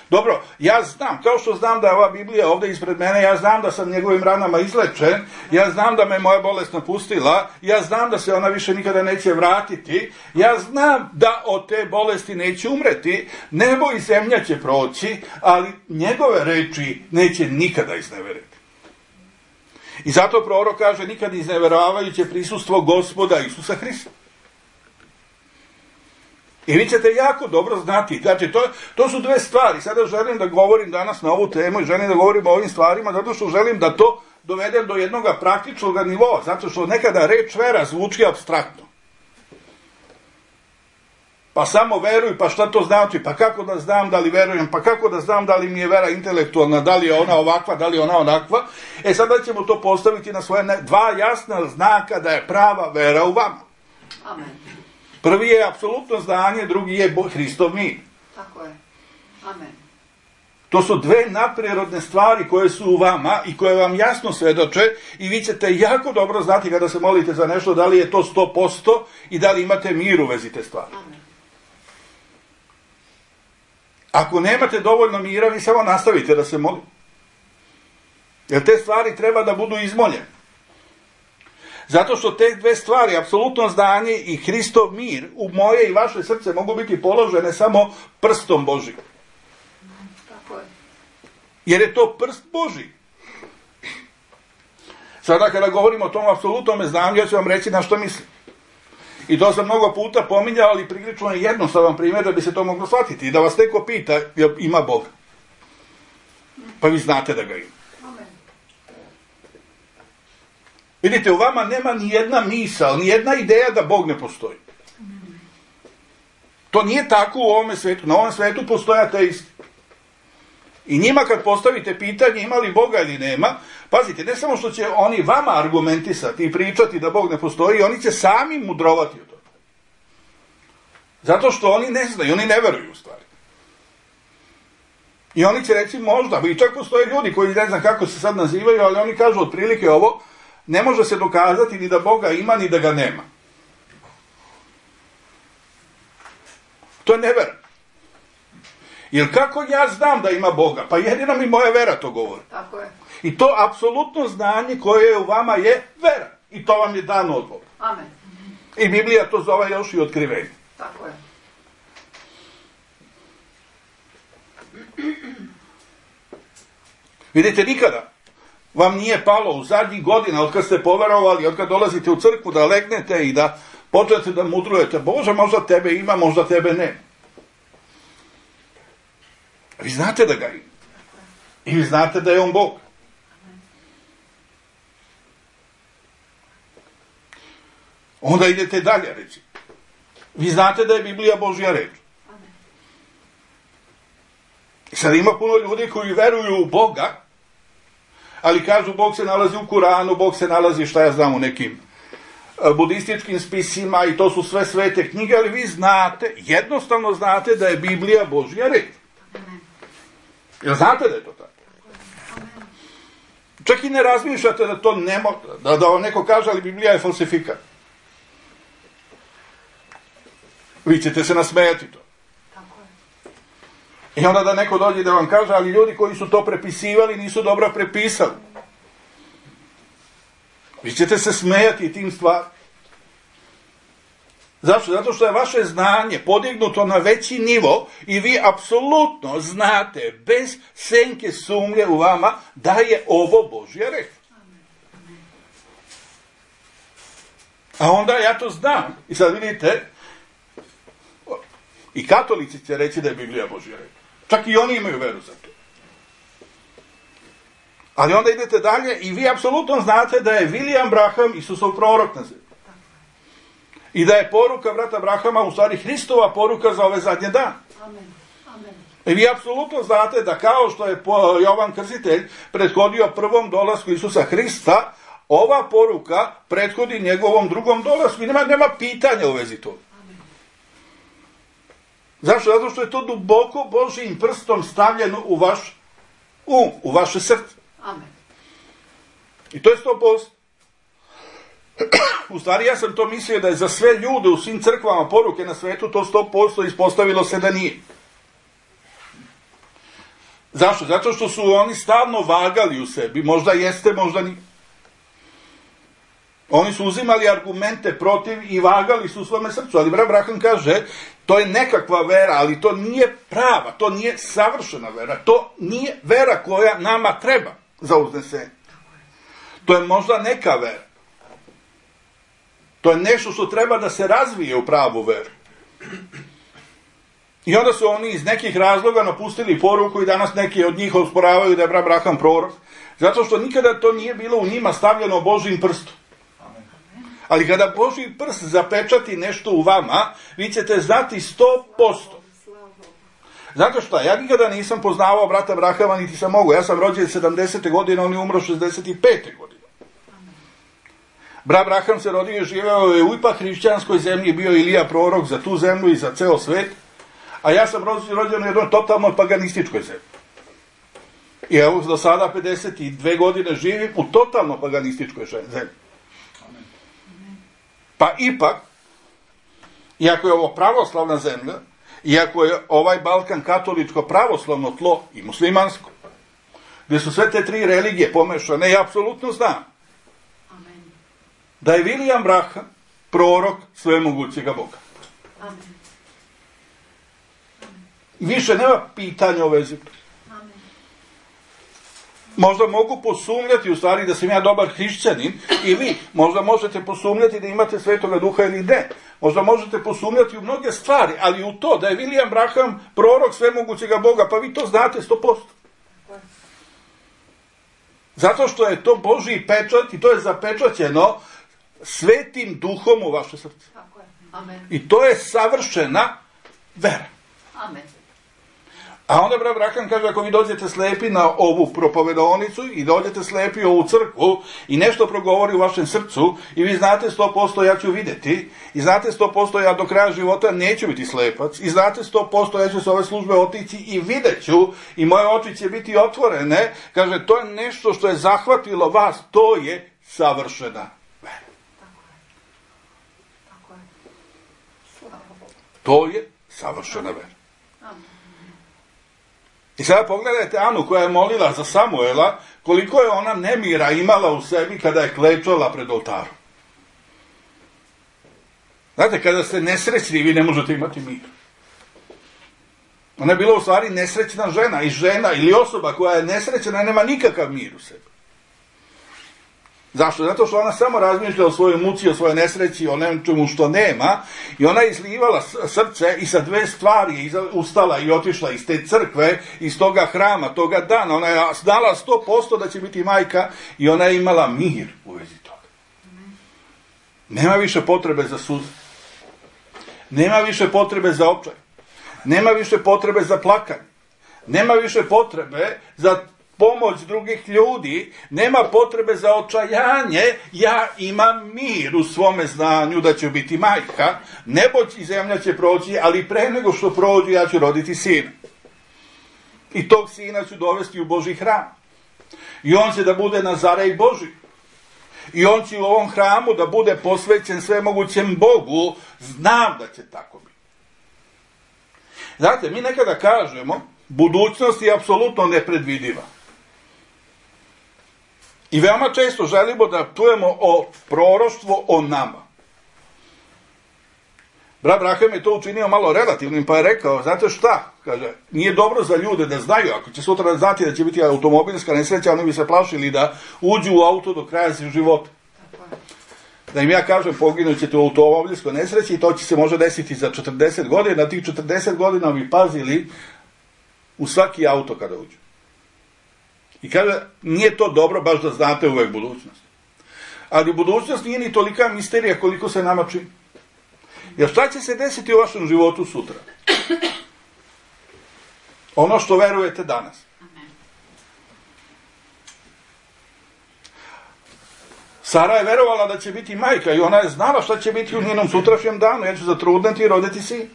Dobro, ja znam, kao što znam da je ova Biblija ovdje ispred mene, ja znam da sam njegovim ranama izlečen, ja znam da me moja bolest napustila, ja znam da se ona više nikada neće vratiti, ja znam da od te bolesti neće umreti, nebo i zemlja će proći, ali njegove reči neće nikada izneveriti. I zato prorok kaže, nikad izneveravajuće prisustvo Gospoda Isusa Hrista. I vi ćete jako dobro znati, znači to su dve stvari. Sada želim da govorim danas na ovu temu i želim da govorim o ovim stvarima, zato što želim da to dovedem do jednog praktičnog nivoa, zato što nekada reč vera zvuči apstraktno. Pa samo veruj, pa šta to znači, pa kako da znam da li verujem, pa kako da znam da li mi je vera intelektualna, da li je ona ovakva, da li je ona onakva. Sada ćemo to postaviti na svoje dva jasna znaka da je prava vera u vama. Amen. Prvi je apsolutno znanje, drugi je Hristov mir. Tako je. Amen. To su dve nadprirodne stvari koje su u vama i koje vam jasno svedoče i vi ćete jako dobro znati kada se molite za nešto da li je to 100% i da li imate mir u vezi te stvari. Amen. Ako nemate dovoljno mira, vi samo nastavite da se molite. Jer te stvari treba da budu izmoljene. Zato što te dve stvari, apsolutno znanje i Hristov mir, u moje i vaše srce mogu biti položene samo prstom Božim. Tako je. Jer je to prst Božji. Sada kada govorimo o tom apsolutnom znanju, ja ću vam reći na što mislim. I to sam mnogo puta pominjao, ali prilično je jednostavan primjer da bi se to moglo shvatiti. I da vas neko pita, ima Boga. Pa vi znate da ga ima. Vidite, u vama nema ni jedna misao, ni jedna ideja da Bog ne postoji. To nije tako u ovome svetu. Na ovom svetu postoje ateisti. I njima kad postavite pitanje ima li Boga ili nema, pazite, ne samo što će oni vama argumentisati i pričati da Bog ne postoji, oni će sami mudrovati od toga. Zato što oni ne znaju, oni ne veruju u stvari. I oni će reći možda, i čak postoje ljudi koji ne znam kako se sad nazivaju, ali oni kažu otprilike ovo, ne može se dokazati ni da Boga ima, ni da ga nema. To je nevera. Jer kako ja znam da ima Boga? Pa jedino mi moja vera to govori. Tako je. I to apsolutno znanje koje je u vama je vera. I to vam je dano od Boga. Amen. I Biblija to zove još i otkrivenje. Tako je. Vidite, nikada vam nije palo u zadnjih godina, od kad ste poverovali, od kad dolazite u crkvu, da legnete i da počnete da mudrujete. Bože, možda tebe ima, možda tebe ne. Vi znate da ga ima. I vi znate da je on Bog. Onda idete dalje, reći. Vi znate da je Biblija Božja reč. I sad ima puno ljudi koji veruju u Boga, ali kažu Bog se nalazi u Kuranu, Bog se nalazi, šta ja znam, u nekim budističkim spisima i to su sve svete knjige, ali vi znate, jednostavno znate da je Biblija Božja reč. Jel znate da je to tako? Čak i ne razmišljate da to ne može, da vam neko kaže, ali Biblija je falsifikat. Vi ćete se nasmejati to. I onda da neko dođe da vam kaže, ali ljudi koji su to prepisivali nisu dobro prepisali. Vi ćete se smejati tim stvarima. Zašto? Zato što je vaše znanje podignuto na veći nivo i vi apsolutno znate, bez senke sumnje u vama, da je ovo Božja reč. A onda ja to znam. I sad vidite, i katolici će reći da je Biblija Božja reč. Čak i oni imaju veru za to. Ali onda idete dalje i vi apsolutno znate da je William Branham Isusov prorok na zemlji. I da je poruka brata Branhama u stvari Hristova poruka za ove zadnje dane. I vi apsolutno znate da kao što je Jovan Krstitelj prethodio prvom dolasku Isusa Hrista, ova poruka prethodi njegovom drugom dolasku i nema pitanja u vezi toga. Zašto? Zato što je to duboko Božjim prstom stavljeno u vaš u vaše srce. Amen. I to je 100%. U stvari ja sam to mislio da je za sve ljude u svim crkvama poruke na svetu to 100% ispostavilo se da nije. Zašto? Zato što su oni stalno vagali u sebi. Možda jeste, možda nije. Oni su uzimali argumente protiv i vagali su u svome srcu. Ali brat Branham kaže, to je nekakva vera, ali to nije prava, to nije savršena vera. To nije vera koja nama treba za uznesenje. To je možda neka vera. To je nešto što treba da se razvije u pravu veru. I onda su oni iz nekih razloga napustili poruku i danas neki od njih osporavaju da je brat Branham prorok. Zato što nikada to nije bilo u njima stavljeno Božjim prstom. Ali kada Božji prst zapečati nešto u vama, vi ćete znati 100%. Zato što ja nikada nisam poznavao brata Branhama, niti sam mogu. Ja sam rođen 70. godine, on je umro 65. godine. Brat Branham se rodio i živeo je u ipak hrišćanskoj zemlji, bio Ilija prorok za tu zemlju i za ceo svet. A ja sam rođen u jednoj totalno paganističkoj zemlji. I evo, do sada 52 godine živim u totalno paganističkoj zemlji. Pa ipak, iako je ovo pravoslavna zemlja, iako je ovaj Balkan katoličko pravoslavno tlo i muslimansko, gdje su sve te tri religije pomešane, ja apsolutno znam da je William Branham prorok svemogućega Boga. Više nema pitanja o vezi. Možda mogu posumnjati u stvari da sam ja dobar hrišćanin i vi možda možete posumnjati da imate Svetoga Duha ili ne. Možda možete posumnjati u mnoge stvari, ali u to da je William Branham prorok svemogućega Boga, pa vi to znate 100%. Zato što je to Božji pečat i to je zapečaćeno Svetim Duhom u vaše srce. Amen. I to je savršena vera. Amen. A onda brat Braham kaže, ako vi dođete slepi na ovu propovedonicu i dođete slepi u ovu crkvu i nešto progovori u vašem srcu i vi znate 100% ja ću vidjeti i znate 100% ja do kraja života neću biti slepac i znate 100% ja ću s ove službe otići i vidjet ću i moje oči će biti otvorene, kaže, to je nešto što je zahvatilo vas, to je savršena vera. Tako je. Slava Bogu. To je savršena vera. I sada pogledajte Anu koja je molila za Samuela, koliko je ona nemira imala u sebi kada je klečala pred oltarom. Znate, kada ste nesrećni, vi ne možete imati mir. Ona je bila u stvari nesrećna žena, i žena ili osoba koja je nesrećna nema nikakav mir u sebi. Zašto? Zato što ona samo razmišlja o svojoj muci, o svojoj nesreći, o nečemu što nema, i ona je izlivala srce i sa dve stvari je ustala i otišla iz te crkve, iz toga hrama, toga dana. Ona je znala 100% da će biti majka i ona je imala mir u vezi toga. Nema više potrebe za suze. Nema više potrebe za očaj. Nema više potrebe za plakanje. Nema više potrebe za pomoć drugih ljudi, nema potrebe za očajanje, ja imam mir u svome znanju da ću biti majka, nebo i zemlja će proći, ali pre nego što prođu ja ću roditi sina. I tog sina ću dovesti u Božji hram. I on će da bude Nazarej Božji. I on će u ovom hramu da bude posvećen svemogućem Bogu, znam da će tako biti. Znate, mi nekada kažemo, budućnost je apsolutno nepredvidiva. I veoma često želimo da čujemo o proroštvu o nama. Brat Braham je to učinio malo relativnim, pa je rekao, znate šta? Kaže, nije dobro za ljude da znaju, ako će sutra znati da će biti automobilska nesreća, oni bi se plašili da uđu u auto do kraja života. Da im ja kažem, poginut ćete u automobilskoj nesreći i to će se može desiti za 40 godina, tih 40 godina bi pazili u svaki auto kada uđu. I kaže, nije to dobro baš da znate uvek budućnost. Ali budućnost nije ni tolika misterija koliko se nama čini. Jer šta će se desiti u vašem životu sutra? Ono što verujete danas. Sara je verovala da će biti majka i ona je znala šta će biti u njenom sutrašnjem danu. Ja ću zatrudneti i roditi sin.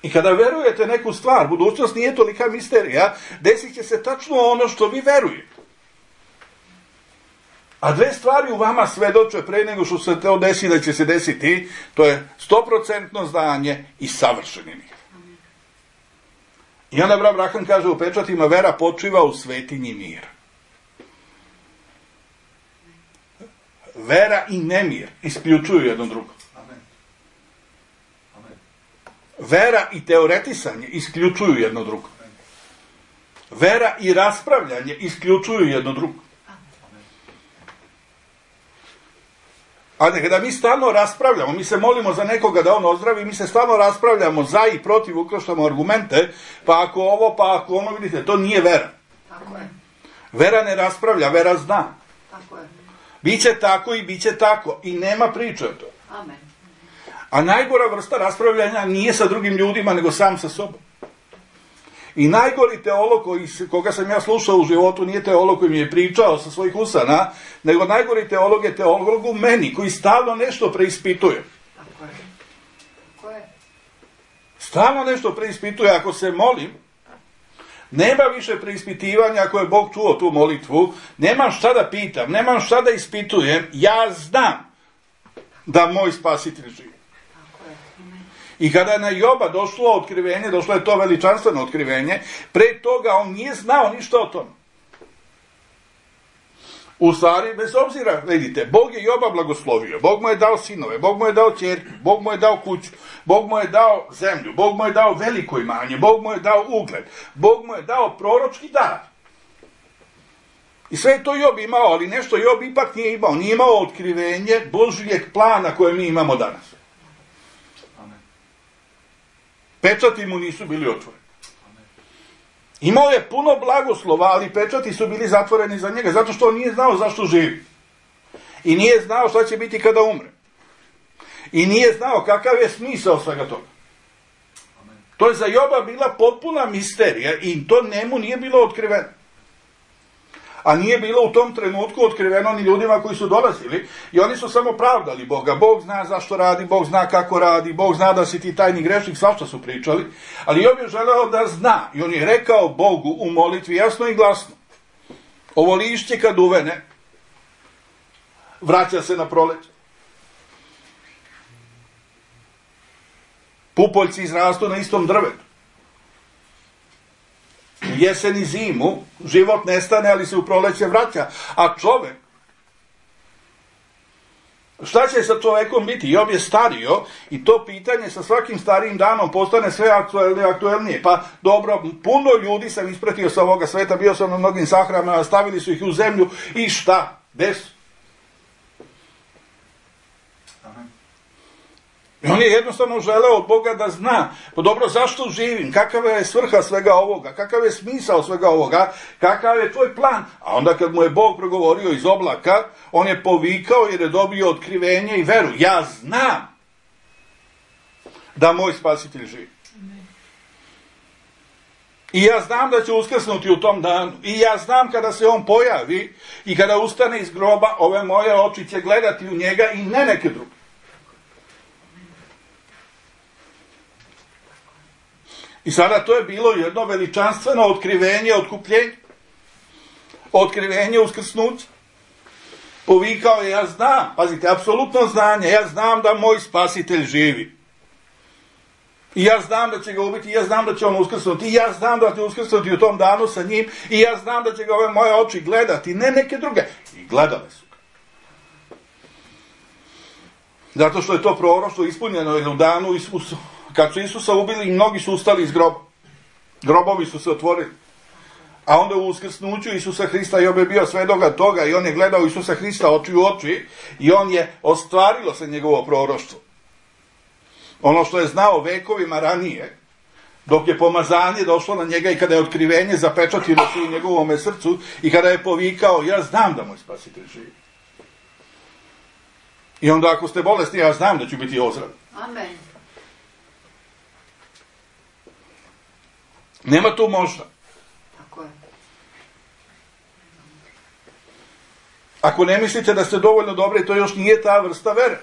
I kada verujete neku stvar, budućnost nije tolika misterija, desit će se tačno ono što vi verujete. A dve stvari u vama svedoče pre nego što se to desi da će se desiti, to je 100% znanje i savršeni mir. I onda brat Braham kaže u pečatima, vera počiva u svetinji mira. Vera i nemir isključuju jedno drugo. Vera i teoretisanje isključuju jedno drugo. Vera i raspravljanje isključuju jedno drugo. Ali kada mi stalno raspravljamo, mi se molimo za nekoga da on ozdravi, mi se stalno raspravljamo za i protiv, ukrštamo argumente, pa ako ovo, pa ako ono, vidite, to nije vera. Tako je. Vera ne raspravlja, vera zna. Tako je. Biće tako i biće tako. I nema priče o tome. Amen. A najgora vrsta raspravljanja nije sa drugim ljudima, nego sam sa sobom. I najgori teolog koga sam ja slušao u životu nije teolog koji mi je pričao sa svojih usana, nego najgori teolog je teolog u meni, koji stalno nešto preispituje. Tako je. Tako je. Stalno nešto preispituje. Ako se molim, nema više preispitivanja ako je Bog čuo tu molitvu, nemam šta da pitam, nemam šta da ispitujem, ja znam da moj spasitelj živi. I kada je na Joba došlo otkrivenje, došlo je to veličanstveno otkrivenje, pre toga on nije znao ništa o tom. U stvari, bez obzira, vidite, Bog je Joba blagoslovio, Bog mu je dao sinove, Bog mu je dao ćerku, Bog mu je dao kuću, Bog mu je dao zemlju, Bog mu je dao veliko imanje, Bog mu je dao ugled, Bog mu je dao proročki dar. I sve je to Job imao, ali nešto Job ipak nije imao, nije imao otkrivenje Božijeg plana koje mi imamo danas. Pečati mu nisu bili otvoreni. Imao je puno blagoslova, ali pečati su bili zatvoreni za njega, zato što on nije znao zašto živi. I nije znao šta će biti kada umre. I nije znao kakav je smisao svega toga. To je za Joba bila potpuna misterija i to njemu nije bilo otkriveno. A nije bilo u tom trenutku otkriveno ni ljudima koji su dolazili i oni su samo pravdali Boga. Bog zna zašto radi, Bog zna kako radi, Bog zna da si ti tajni grešnik, svašta su pričali. Ali Job je želeo da zna i on je rekao Bogu u molitvi jasno i glasno: ovo lišće kad uvene, vraća se na proleće. Pupoljci izrastu na istom drvetu. U jesen i zimu život nestane, ali se u proleće vraća. A čovek, šta će sa čovekom biti? Job je stario i to pitanje sa svakim starijim danom postane sve aktuelnije. Pa dobro, puno ljudi sam ispratio sa ovoga sveta, bio sam na mnogim sahranama, stavili su ih u zemlju i šta? Gde su? I on je jednostavno želeo od Boga da zna, pa dobro, zašto živim, kakava je svrha svega ovoga, kakav je smisao svega ovoga, kakav je tvoj plan. A onda kad mu je Bog progovorio iz oblaka, on je povikao jer je dobio otkrivenje i veru. Ja znam da moj spasitelj živi. I ja znam da će uskrsnuti u tom danu. I ja znam kada se on pojavi i kada ustane iz groba, ove moje oči će gledati u njega i ne neke druge. I sada to je bilo jedno veličanstveno otkrivenje, otkupljenje. Otkrivenje uskrsnuća. Povikao je, ja znam, pazite, apsolutno znanje, ja znam da moj spasitelj živi. I ja znam da će ga ubiti, i ja znam da će on uskrsnuti, i ja znam da će uskrsnuti u tom danu sa njim, i ja znam da će ga ove moje oči gledati, ne neke druge. I gledale su ga. Zato što je to proroštvo ispunjeno u danu Isusa. Kad su Isusa ubili i mnogi su ustali iz groba. Grobovi su se otvorili. A onda u uskrsnuću Isusa Hrista Job je bio svedoga toga i on je gledao Isusa Hrista oči u oči i on je ostvarilo se njegovo proroštvo. Ono što je znao vekovima ranije, dok je pomazanje došlo na njega i kada je otkrivenje zapečatilo se u njegovome srcu i kada je povikao, ja znam da moj spasitelj živi. I onda ako ste bolesni, ja znam da ću biti ozdrav. Amen. Nema tu možda. Tako je. Ako ne mislite da ste dovoljno dobri, to još nije ta vrsta vere.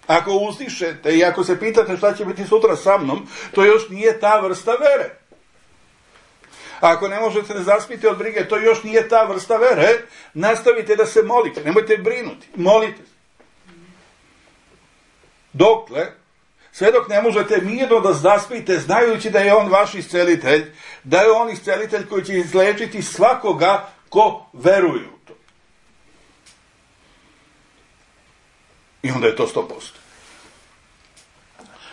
Ako uzdišete i ako se pitate šta će biti sutra sa mnom, to još nije ta vrsta vere. Ako ne možete da zaspite od brige, to još nije ta vrsta vere. Nastavite da se molite, nemojte brinuti, molite se. Dokle, sve dok ne možete mirno da zaspite, znajući da je on vaš iscelitelj, da je on iscelitelj koji će izlečiti svakoga ko veruje u to. I onda je to 100%.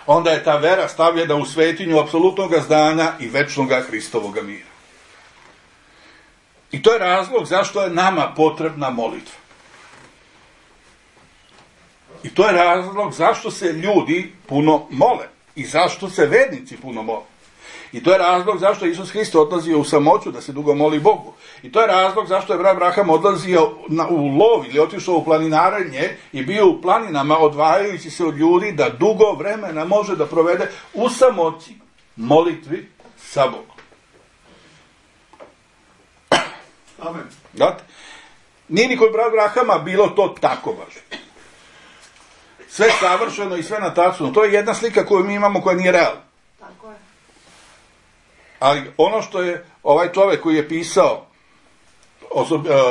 Onda je ta vera stavljena u svetinju apsolutnog znanja i večnog Hristovog mira. I to je razlog zašto je nama potrebna molitva. I to je razlog zašto se ljudi puno mole. I zašto se vernici puno mole. I to je razlog zašto je Isus Hrist odlazio u samoću da se dugo moli Bogu. I to je razlog zašto je Abraham odlazio u lov ili otišao u planinarenje i bio u planinama odvajajući se od ljudi da dugo vremena može da provede u samoći, molitvi sa Bogom. Amen. Znate? Nije ni kod Abrahama bilo to tako baš. Sve savršeno i sve natačno. To je jedna slika koju mi imamo koja nije realna. Tako je. Ali ono što je ovaj čovjek koji je pisao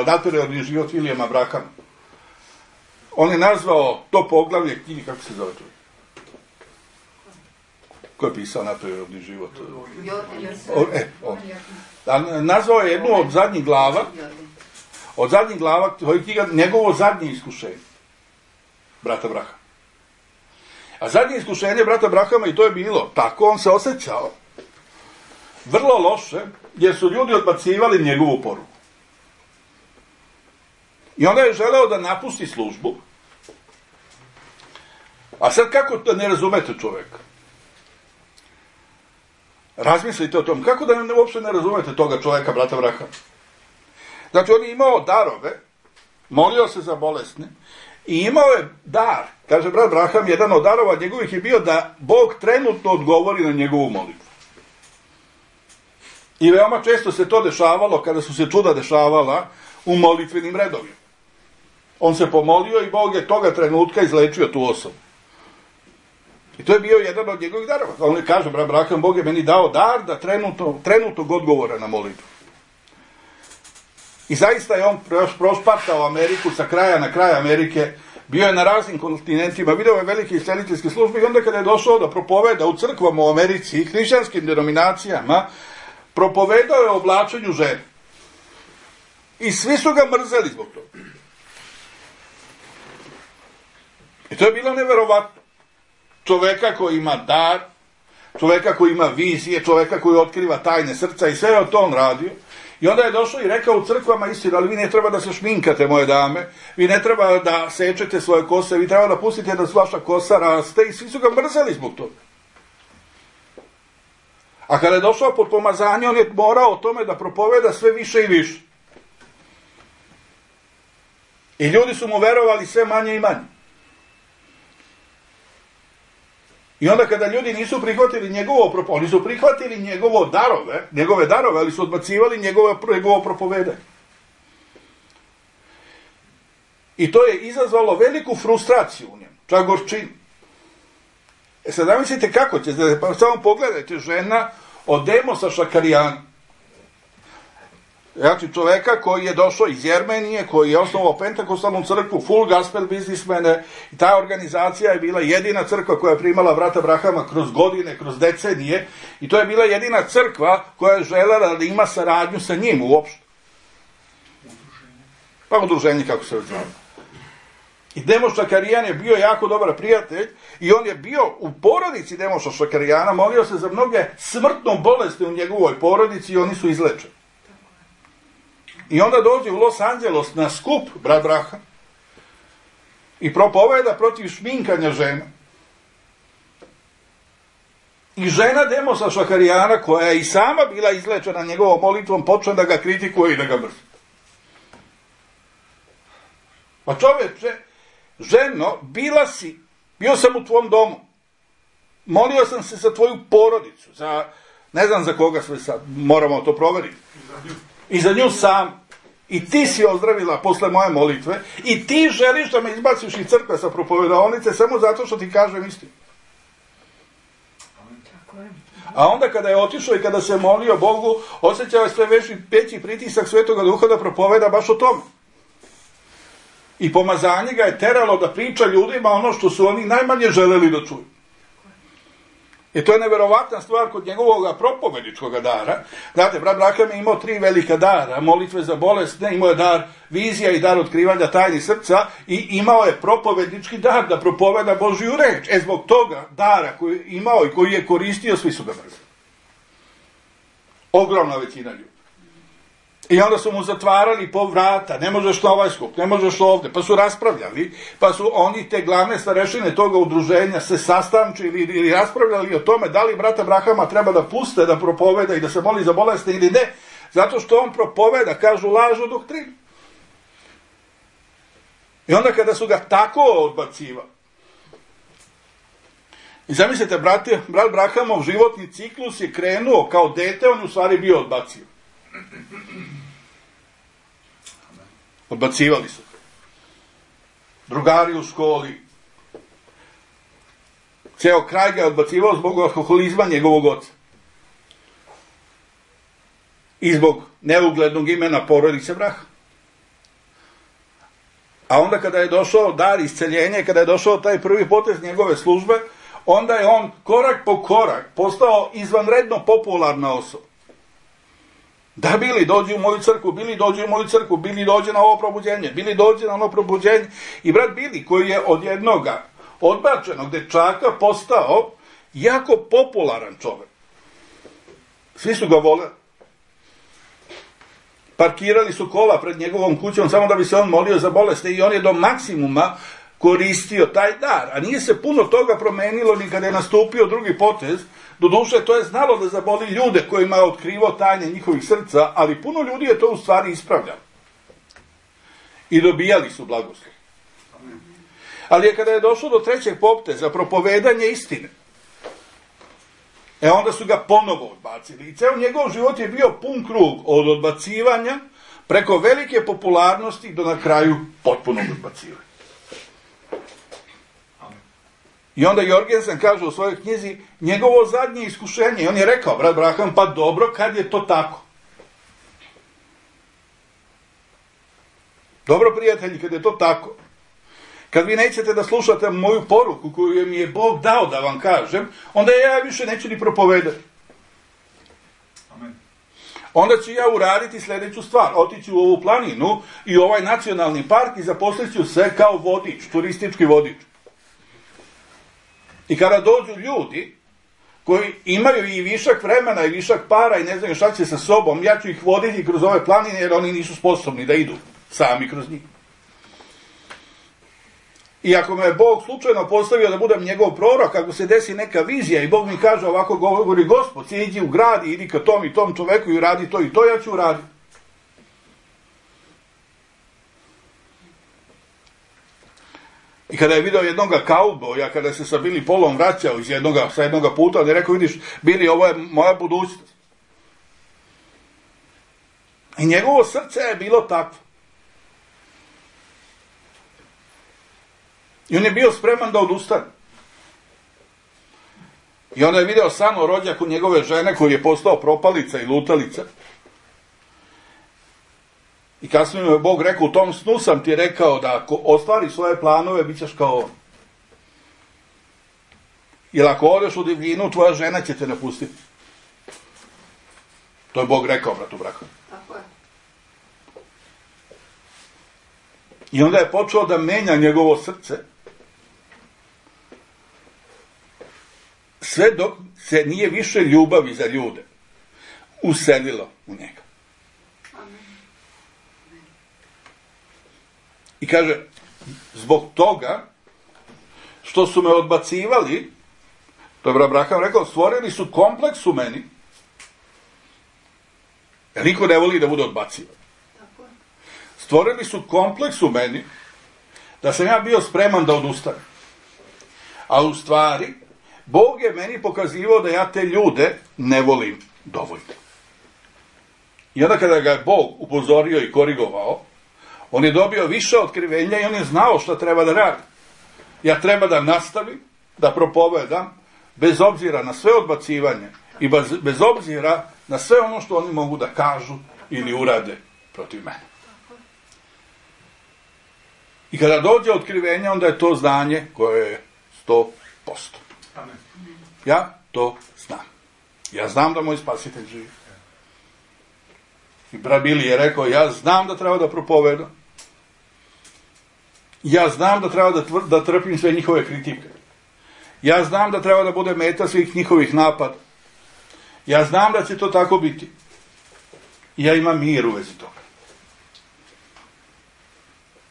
nadprirodni život Vilijama Brahama, on je nazvao to poglavlje knjige, kako se zove to? Ko je pisao nadprirodni život? Nazvao je jednu od zadnjih glava, to je knjiga njegovo zadnje iskušenje, brata Brahama. A zadnje iskušenje brata Brahama, i to je bilo tako, on se osjećao vrlo loše, jer su ljudi odbacivali njegovu poruku. I onda je želeo da napusti službu. A sad kako da ne razumete čovjeka? Razmislite o tom. Kako da uopšte ne razumete toga čovjeka, brata Brahama? Znači, on je imao darove, molio se za bolesne I imao je dar, kaže brat Braham, jedan od darova njegovih je bio da Bog trenutno odgovori na njegovu molitvu. I veoma često se to dešavalo, kada su se čuda dešavala u molitvenim redovima. On se pomolio i Bog je toga trenutka izlečio tu osobu. I to je bio jedan od njegovih darova. On kaže, brat Braham, Bog je meni dao dar da trenutnog odgovora na molitvu. I zaista je on prospartao Ameriku sa kraja na kraj Amerike, bio je na raznim kontinentima, video je velike isceliteljske službe i onda kada je došao da propoveda u crkvama u Americi i hrišćanskim denominacijama, propovedao je o oblačenju žene. I svi su ga mrzeli zbog toga. I to je bilo neverovatno. Čoveka koji ima dar, čoveka koji ima vizije, čoveka koji otkriva tajne srca i sve je to on radio. I onda je došao i rekao u crkvama istinu, ali vi ne treba da se šminkate, moje dame, vi ne treba da sečete svoje kose, vi treba da pustite da vaša kosa raste i svi su ga mrzeli zbog toga. A kada je došao pod pomazanje, on je morao o tome da propoveda sve više i više. I ljudi su mu verovali sve manje i manje. I onda kada ljudi nisu prihvatili oni su prihvatili njegove darove, ali su odbacivali njegovo propovedanje. I to je izazvalo veliku frustraciju u njemu, čak gorčinu. Sad zamislite kako će, pa samo pogledajte, žena od Demosa Šakarijana. Znači čoveka koji je došao iz Jermenije, koji je osnovao Pentakostalnu crkvu, full gospel biznismene, i ta organizacija je bila jedina crkva koja je primala brata Brahama kroz godine, kroz decenije, i to je bila jedina crkva koja je želela da ima saradnju sa njim uopšte. Pa udruženje, kako se zvalo. I Demos Šakarijan je bio jako dobar prijatelj i on je bio u porodici Demosa Šakarijana, molio se za mnoge smrtno bolesti u njegovoj porodici i oni su izlečeni. I onda dođe u Los Angeles na skup brat Braham i propoveda protiv šminkanja žena. I žena Demosa Šakarijana, koja je i sama bila izlečena njegovom molitvom, počne da ga kritikuje i da ga mrzi. Pa čoveče, ženo, bio sam u tvom domu, molio sam se za tvoju porodicu, ne znam za koga sve sad, moramo to proveriti. I za nju sam. I ti si ozdravila posle moje molitve i ti želiš da me izbaciš iz crkve sa propovedaonice samo zato što ti kažem istinu. A onda kada je otišao i kada se molio Bogu, osjećao je sve veći pritisak Svetoga Duha da propoveda baš o tome. I pomazanje ga je teralo da priča ljudima ono što su oni najmanje želeli da čuju. I to je neverovatna stvar kod njegovog propovedičkog dara. Znate, brat Braham je imao 3 velika dara, molitve za bolesne, imao je dar vizija i dar otkrivanja tajnih srca i imao je propovedički dar da propoveda Božju reč. Zbog toga dara koji je imao i koji je koristio, svi su ga mrzeli. Ogromna većina ljudi. I onda su mu zatvarali po vrata, ne možeš na ovaj skup, ne možeš ovde, pa su raspravljali, pa su oni te glavne starešine toga udruženja se sastančili ili raspravljali o tome da li brata Brahama treba da puste, da propoveda i da se moli za bolesne ili ne, zato što on propoveda, kažu, lažu doktrinu. I onda kada su ga tako odbacivali, i zamislite, brat Brahamov životni ciklus je krenuo kao dete, on u stvari bio odbacio. Odbacivali su. Drugari u školi. Ceo kraj ga je odbacivao zbog alkoholizma njegovog oca. I zbog neuglednog imena porodice Braham. A onda kada je došao dar isceljenja, kada je došao taj prvi potez njegove službe, onda je on korak po korak postao izvanredno popularna osoba. Da Bili dođe u moju crkvu, Bili dođe u moju crkvu, Bili dođe na ovo probuđenje, Bili dođe na ono probuđenje. I brat Bili, koji je od jednoga odbačenog dečaka postao jako popularan čovjek. Svi su ga voleli. Parkirali su kola pred njegovom kućom samo da bi se on molio za bolesti i on je do maksimuma koristio taj dar. A nije se puno toga promenilo ni kada je nastupio drugi potez. Doduše, to je znalo da zaboli ljude kojima je otkrivao tajne njihovih srca, ali puno ljudi je to u stvari ispravljalo. I dobijali su blagoslov. Ali je kada je došlo do trećeg popte za propovedanje istine, onda su ga ponovo odbacili. I ceo njegov život je bio pun krug od odbacivanja preko velike popularnosti do na kraju potpunog odbacivanja. I onda Jorgensen kaže u svojoj knjizi njegovo zadnje iskušenje. I on je rekao, brat Branham, pa dobro, kad je to tako? Dobro, prijatelji, kad je to tako. Kad vi nećete da slušate moju poruku koju mi je Bog dao da vam kažem, onda ja više neću ni propovedati. Amen. Onda ću ja uraditi sljedeću stvar. Otići u ovu planinu i ovaj nacionalni park i zaposlit ću se kao vodič, turistički vodič. I kada dođu ljudi koji imaju i višak vremena i višak para i ne znaju šta će sa sobom, ja ću ih voditi kroz ove planine jer oni nisu sposobni da idu sami kroz njih. I ako me Bog slučajno postavio da budem njegov prorok, ako se desi neka vizija i Bog mi kaže ovako govori Gospod, iđi u grad i idi ka tom i tom čoveku i radi to i to, ja ću uraditi. I kada je video jednoga kauboja, kada se sa Billy Paulom vraćao sa jednoga puta, on je rekao, vidiš, Billy, ovo je moja budućnost. I njegovo srce je bilo takvo. I on je bio spreman da odustane. I onda je video san o rođaku njegove žene koji je postao propalica i lutalica. I kasnije mu je Bog rekao, u tom snu sam ti rekao da ako ostvari svoje planove, bit ćeš kao on. Jer ako odeš u divljinu, tvoja žena će te napustiti. To je Bog rekao, bratu Branham. Tako je. I onda je počeo da menja njegovo srce. Sve dok se nije više ljubavi za ljude uselilo u njega. I kaže, zbog toga što su me odbacivali, to je brat Branham rekao, stvorili su kompleks u meni, jer niko ne voli da bude odbacivan. Stvorili su kompleks u meni, da sam ja bio spreman da odustanem. A u stvari, Bog je meni pokazivao da ja te ljude ne volim dovoljno. I onda kada ga je Bog upozorio i korigovao, on je dobio više otkrivenja i on je znao šta treba da radi. Ja treba da nastavim, da propovedam, bez obzira na sve odbacivanje i bez obzira na sve ono što oni mogu da kažu ili urade protiv mene. I kada dođe otkrivenje, onda je to znanje koje je 100%. Ja to znam. Ja znam da moj spasitelj živi. I brat Billy je rekao, ja znam da treba da propovedam. Ja znam da treba da trpim sve njihove kritike. Ja znam da treba da bude meta svih njihovih napada. Ja znam da će to tako biti. I ja imam mir u vezi toga.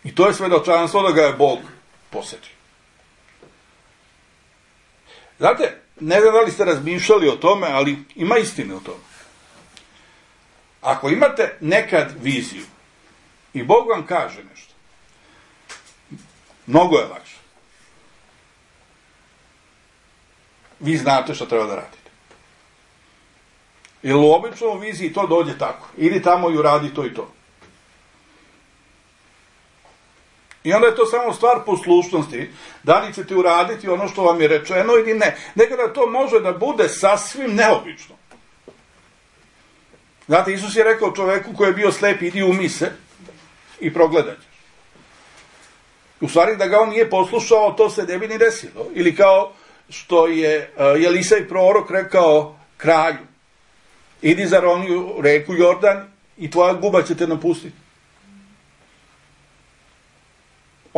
I to je svedočanstvo da ga je Bog posjetio. Znate, ne znam da li ste razmišljali o tome, ali ima istine o tome. Ako imate nekad viziju i Bog vam kaže nešto, mnogo je lakše. Vi znate što treba da radite. Jer u običnom viziji to dođe tako. Idi tamo i uradi to i to. I onda je to samo stvar poslušnosti. Da li ćete uraditi ono što vam je rečeno ili ne. Nekada to može da bude sasvim neobično. Znate, Isus je rekao čoveku koji je bio slep, idi umij se i progledat ćeš. U stvari da ga on nije poslušao, to se ne bi ni desilo. Ili kao što je Elisej prorok rekao kralju, idi za roniju reku Jordan i tvoja guba će te napustiti.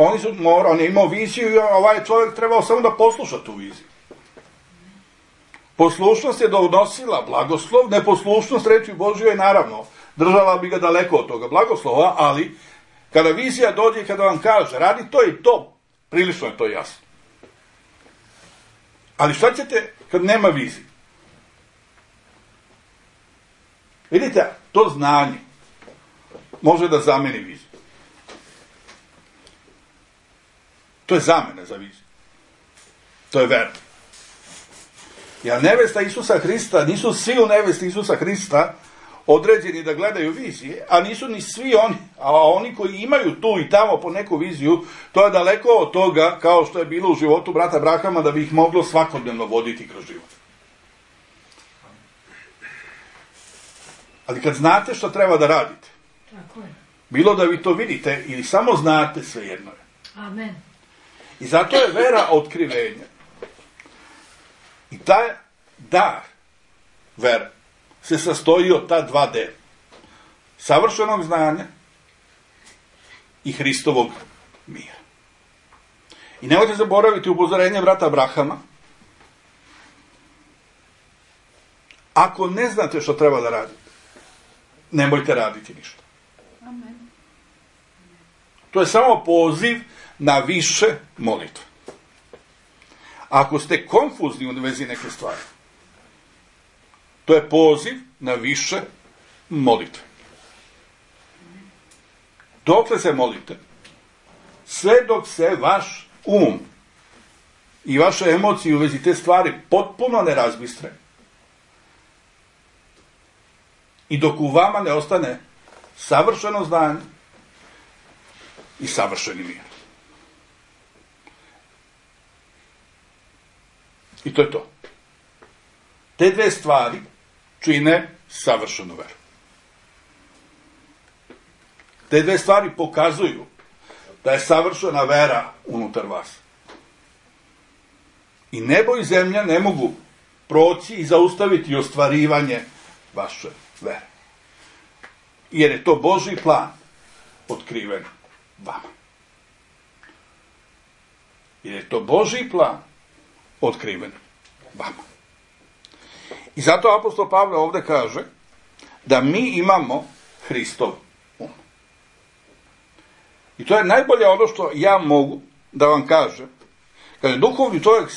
On je imao viziju i ovaj čovjek trebao samo da posluša tu viziju. Poslušnost je donosila blagoslov, neposlušnost reči Božjoj naravno držala bi ga daleko od toga blagoslova, ali kada vizija dođe i kada vam kaže radi to i to, prilično je to jasno. Ali šta ćete kad nema vizije? Vidite, to znanje može da zameni viziju. To je zamena za viziju. To je vera. Jer nevesta Isusa Hrista, nisu svi u nevesti Isusa Hrista određeni da gledaju vizije, a nisu ni svi oni, a oni koji imaju tu i tamo po neku viziju, to je daleko od toga kao što je bilo u životu brata Abrahama, da bi ih moglo svakodnevno voditi kroz život. Ali kad znate što treba da radite, Tako je. bilo da vi to vidite ili samo znate, svejedno je. Amen. I zato je vera otkrivenja. I taj dar vera se sastoji od ta dva dela. Savršenog znanja i Hristovog mira. I nemojte zaboraviti upozorenje brata Abrahama. Ako ne znate što treba da radite, nemojte raditi ništa. Amen. To je samo poziv na više molitve. Ako ste konfuzni u vezi neke stvari, to je poziv na više molitve. Dokle se molite? Sve dok se vaš um i vaše emocije u vezi te stvari potpuno ne razbistre. I dok u vama ne ostane savršeno znanje i savršeni mir. I to je to. Te dve stvari čine savršenu veru. Te dve stvari pokazuju da je savršena vera unutar vas. I nebo i zemlja ne mogu proći i zaustaviti ostvarivanje vaše vere. Jer je to Božji plan otkriven vama. Jer je to Božji plan otkriven vama. I zato apostol Pavle ovdje kaže da mi imamo Hristov um. I to je najbolje ono što ja mogu da vam kažem. Kad je duhovni čovjek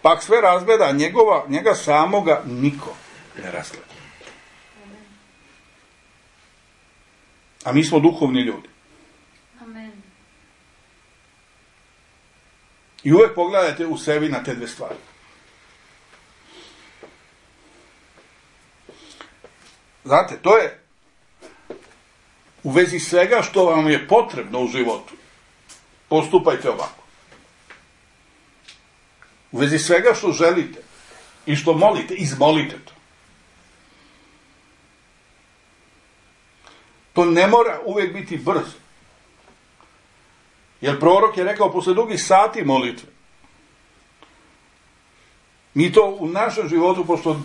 pak sve razgleda, njega samoga niko ne razgleda. A mi smo duhovni ljudi. Amen. I uvek pogledajte u sebi na te dve stvari. Znate, to je u vezi svega što vam je potrebno u životu. Postupajte ovako. U vezi svega što želite i što molite, izmolite to. To ne mora uvijek biti brzo. Jer prorok je rekao posle dugih sati molitve. Mi to u našem životu, pošto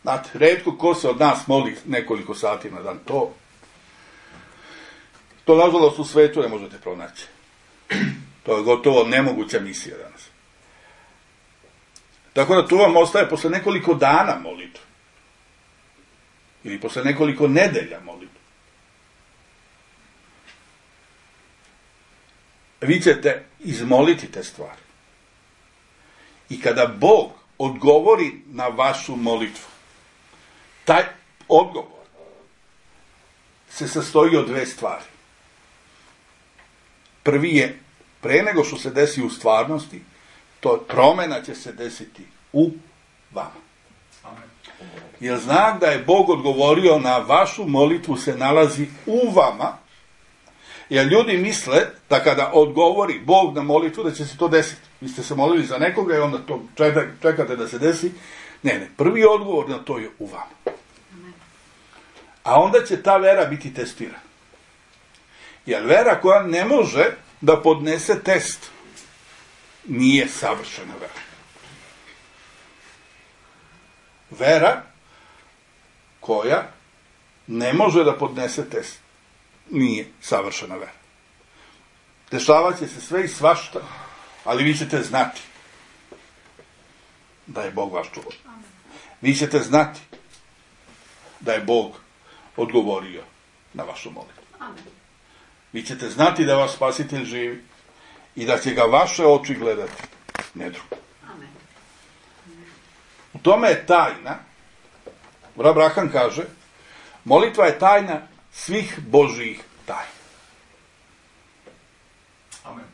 znate, retko ko se od nas moli nekoliko sati na dan, to nažalost u svetu ne možete pronaći. To je gotovo nemoguća misija danas. Tako da tu vam ostaje posle nekoliko dana molitve. Ili posle nekoliko nedelja molitve. Vi ćete izmoliti te stvari. I kada Bog odgovori na vašu molitvu, taj odgovor se sastoji od dve stvari. Prvi je, pre nego što se desi u stvarnosti, to promjena će se desiti u vama. Jer znak da je Bog odgovorio na vašu molitvu se nalazi u vama, jer ljudi misle da kada odgovori Bog na molitvu da će se to desiti. Vi ste se molili za nekoga i onda to čekate da se desi. Ne, prvi odgovor na to je u vama. A onda će ta vera biti testirana. Jer vera koja ne može da podnese test nije savršena vera. Vera koja ne može da podnese test nije savršena vera. Dešavat će se sve i svašta, ali vi ćete znati da je Bog vaš čuvar. Vi ćete znati da je Bog odgovorio na vašu molitvu. Vi ćete znati da vaš spasitelj živi i da će ga vaše oči gledati, ne drugo. U tome je tajna, Abraham kaže, molitva je tajna svih Božjih tajna. Amen.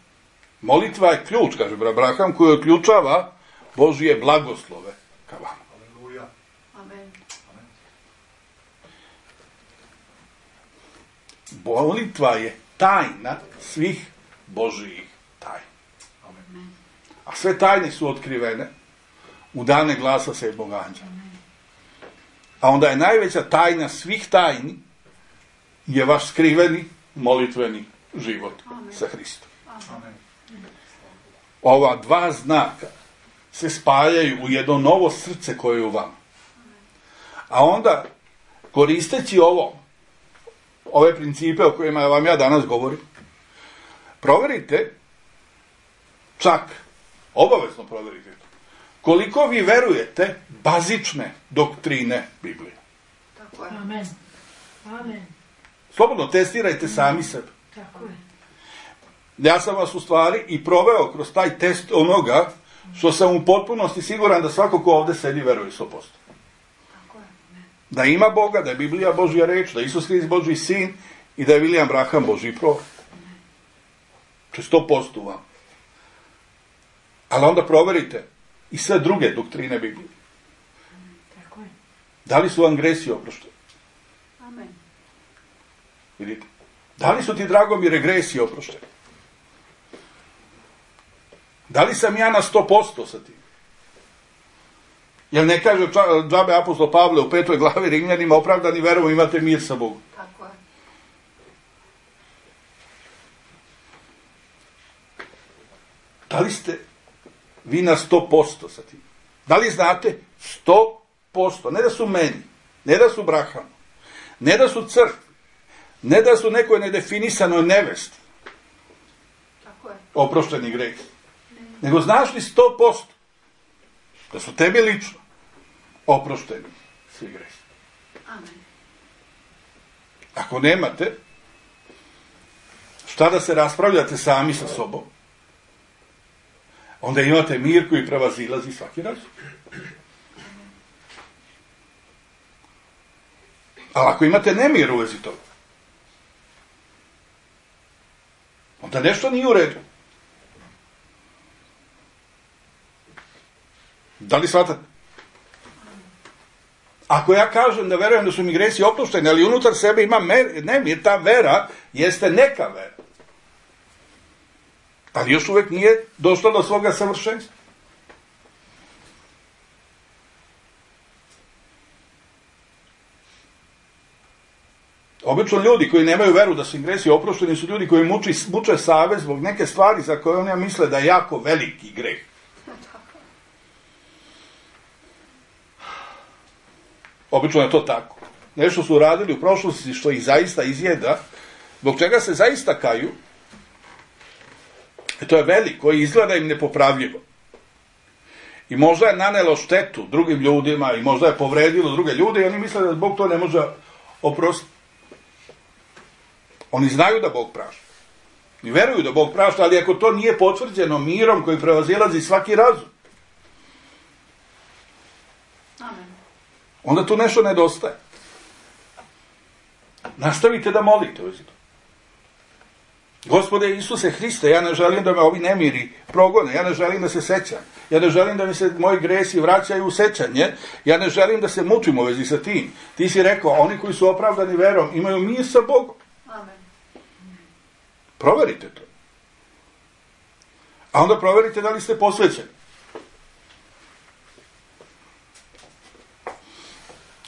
Molitva je ključ, kaže Abraham, koji otključava Božije blagoslove ka vama. Aleluja. Amen. Amen. Molitva je tajna svih Božijih tajna. Amen. A sve tajne su otkrivene u dane glasa sedmog anđela. A onda je najveća tajna svih tajni je vaš skriveni molitveni život sa Hristom. Amen. Ova dva znaka se spajaju u jedno novo srce koje je u vama. A onda, koristeći ove principe o kojima vam ja danas govorim, proverite, čak, obavezno proverite to, koliko vi verujete bazične doktrine Biblije. Tako je. Amen. Amen. Slobodno testirajte sami sebe. Tako je. Ja sam vas u stvari i proveo kroz taj test onoga što sam u potpunosti siguran da svako ko ovdje sedi veruje 100%. Tako je. Da ima Boga, da je Biblija Božja reč, da je Isus Hrist Božji sin i da je William Branham Božji prorok. To je 100% u vam. Ali onda proverite i sve druge doktrine Biblije. Tako je. Da li su vam gresi oprošteni? Amen. Vidite? Da li su ti, Dragomire, gresi oprošteni? Da li sam ja na 100% sa tim? Jer ne kaže džabe apostol Pavle u 5. glavi Rimljanima, opravdani verom imate mir sa Bogom. Tako je. Da li ste vi na 100% sa tim? Da li znate 100%? Ne da su meni, ne da su Brahamu, ne da su crkvi, ne da su nekoj nedefinisanoj nevesti Tako je. oprošteni greh. Nego znaš li 100% da su tebi lično oprošteni svi gresi. Amen. Ako nemate, šta da se raspravljate sami sa sobom? Onda imate mir koji prevazilazi svaki razum. Ali ako imate nemir u vezi toga, onda nešto nije u redu. Da li shvatate? Ako ja kažem da verujem da su mi gresi oprošteni, ali unutar sebe imam nemir, ta vera jeste neka vera. Ali još uvijek nije došla do svoga savršenstva. Obično ljudi koji nemaju veru da su im gresi oprošteni su ljudi koji muče savest zbog neke stvari za koje oni misle da je jako veliki greh. Obično je to tako. Nešto su uradili u prošlosti što ih zaista izjeda, zbog čega se zaista kaju, i to je veliko i izgleda im nepopravljivo. I možda je nanelo štetu drugim ljudima i možda je povredilo druge ljude i oni misle da Bog to ne može oprostiti. Oni znaju da Bog prašta. I veruju da Bog prašta, ali ako to nije potvrđeno mirom koji prevazilazi svaki razum, Amen. onda tu nešto nedostaje. Nastavite da molite u zidu. Gospode Isuse Hriste, ja ne želim da me ovi nemiri progone, ja ne želim da se sećam, ja ne želim da mi se moji gresi vraćaju u sećanje, ja ne želim da se mučim u vezi sa tim. Ti si rekao, oni koji su opravdani verom imaju mir sa Bogom. Amen. Proverite to. A onda proverite da li ste posvećeni.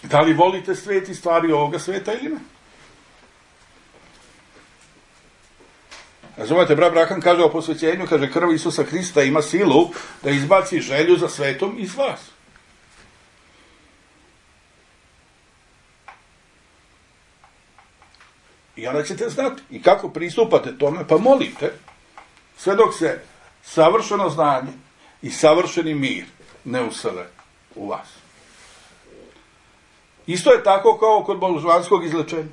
Da li volite svet i stvari ovoga sveta ili ne? Razumete, brat Branham kaže o posvećenju, kaže krv Isusa Hrista ima silu da izbaci želju za svetom iz vas. I onda ćete znati. I kako pristupate tome? Pa molite, sve dok se savršeno znanje i savršeni mir ne usele u vas. Isto je tako kao kod božanskog izlečenja.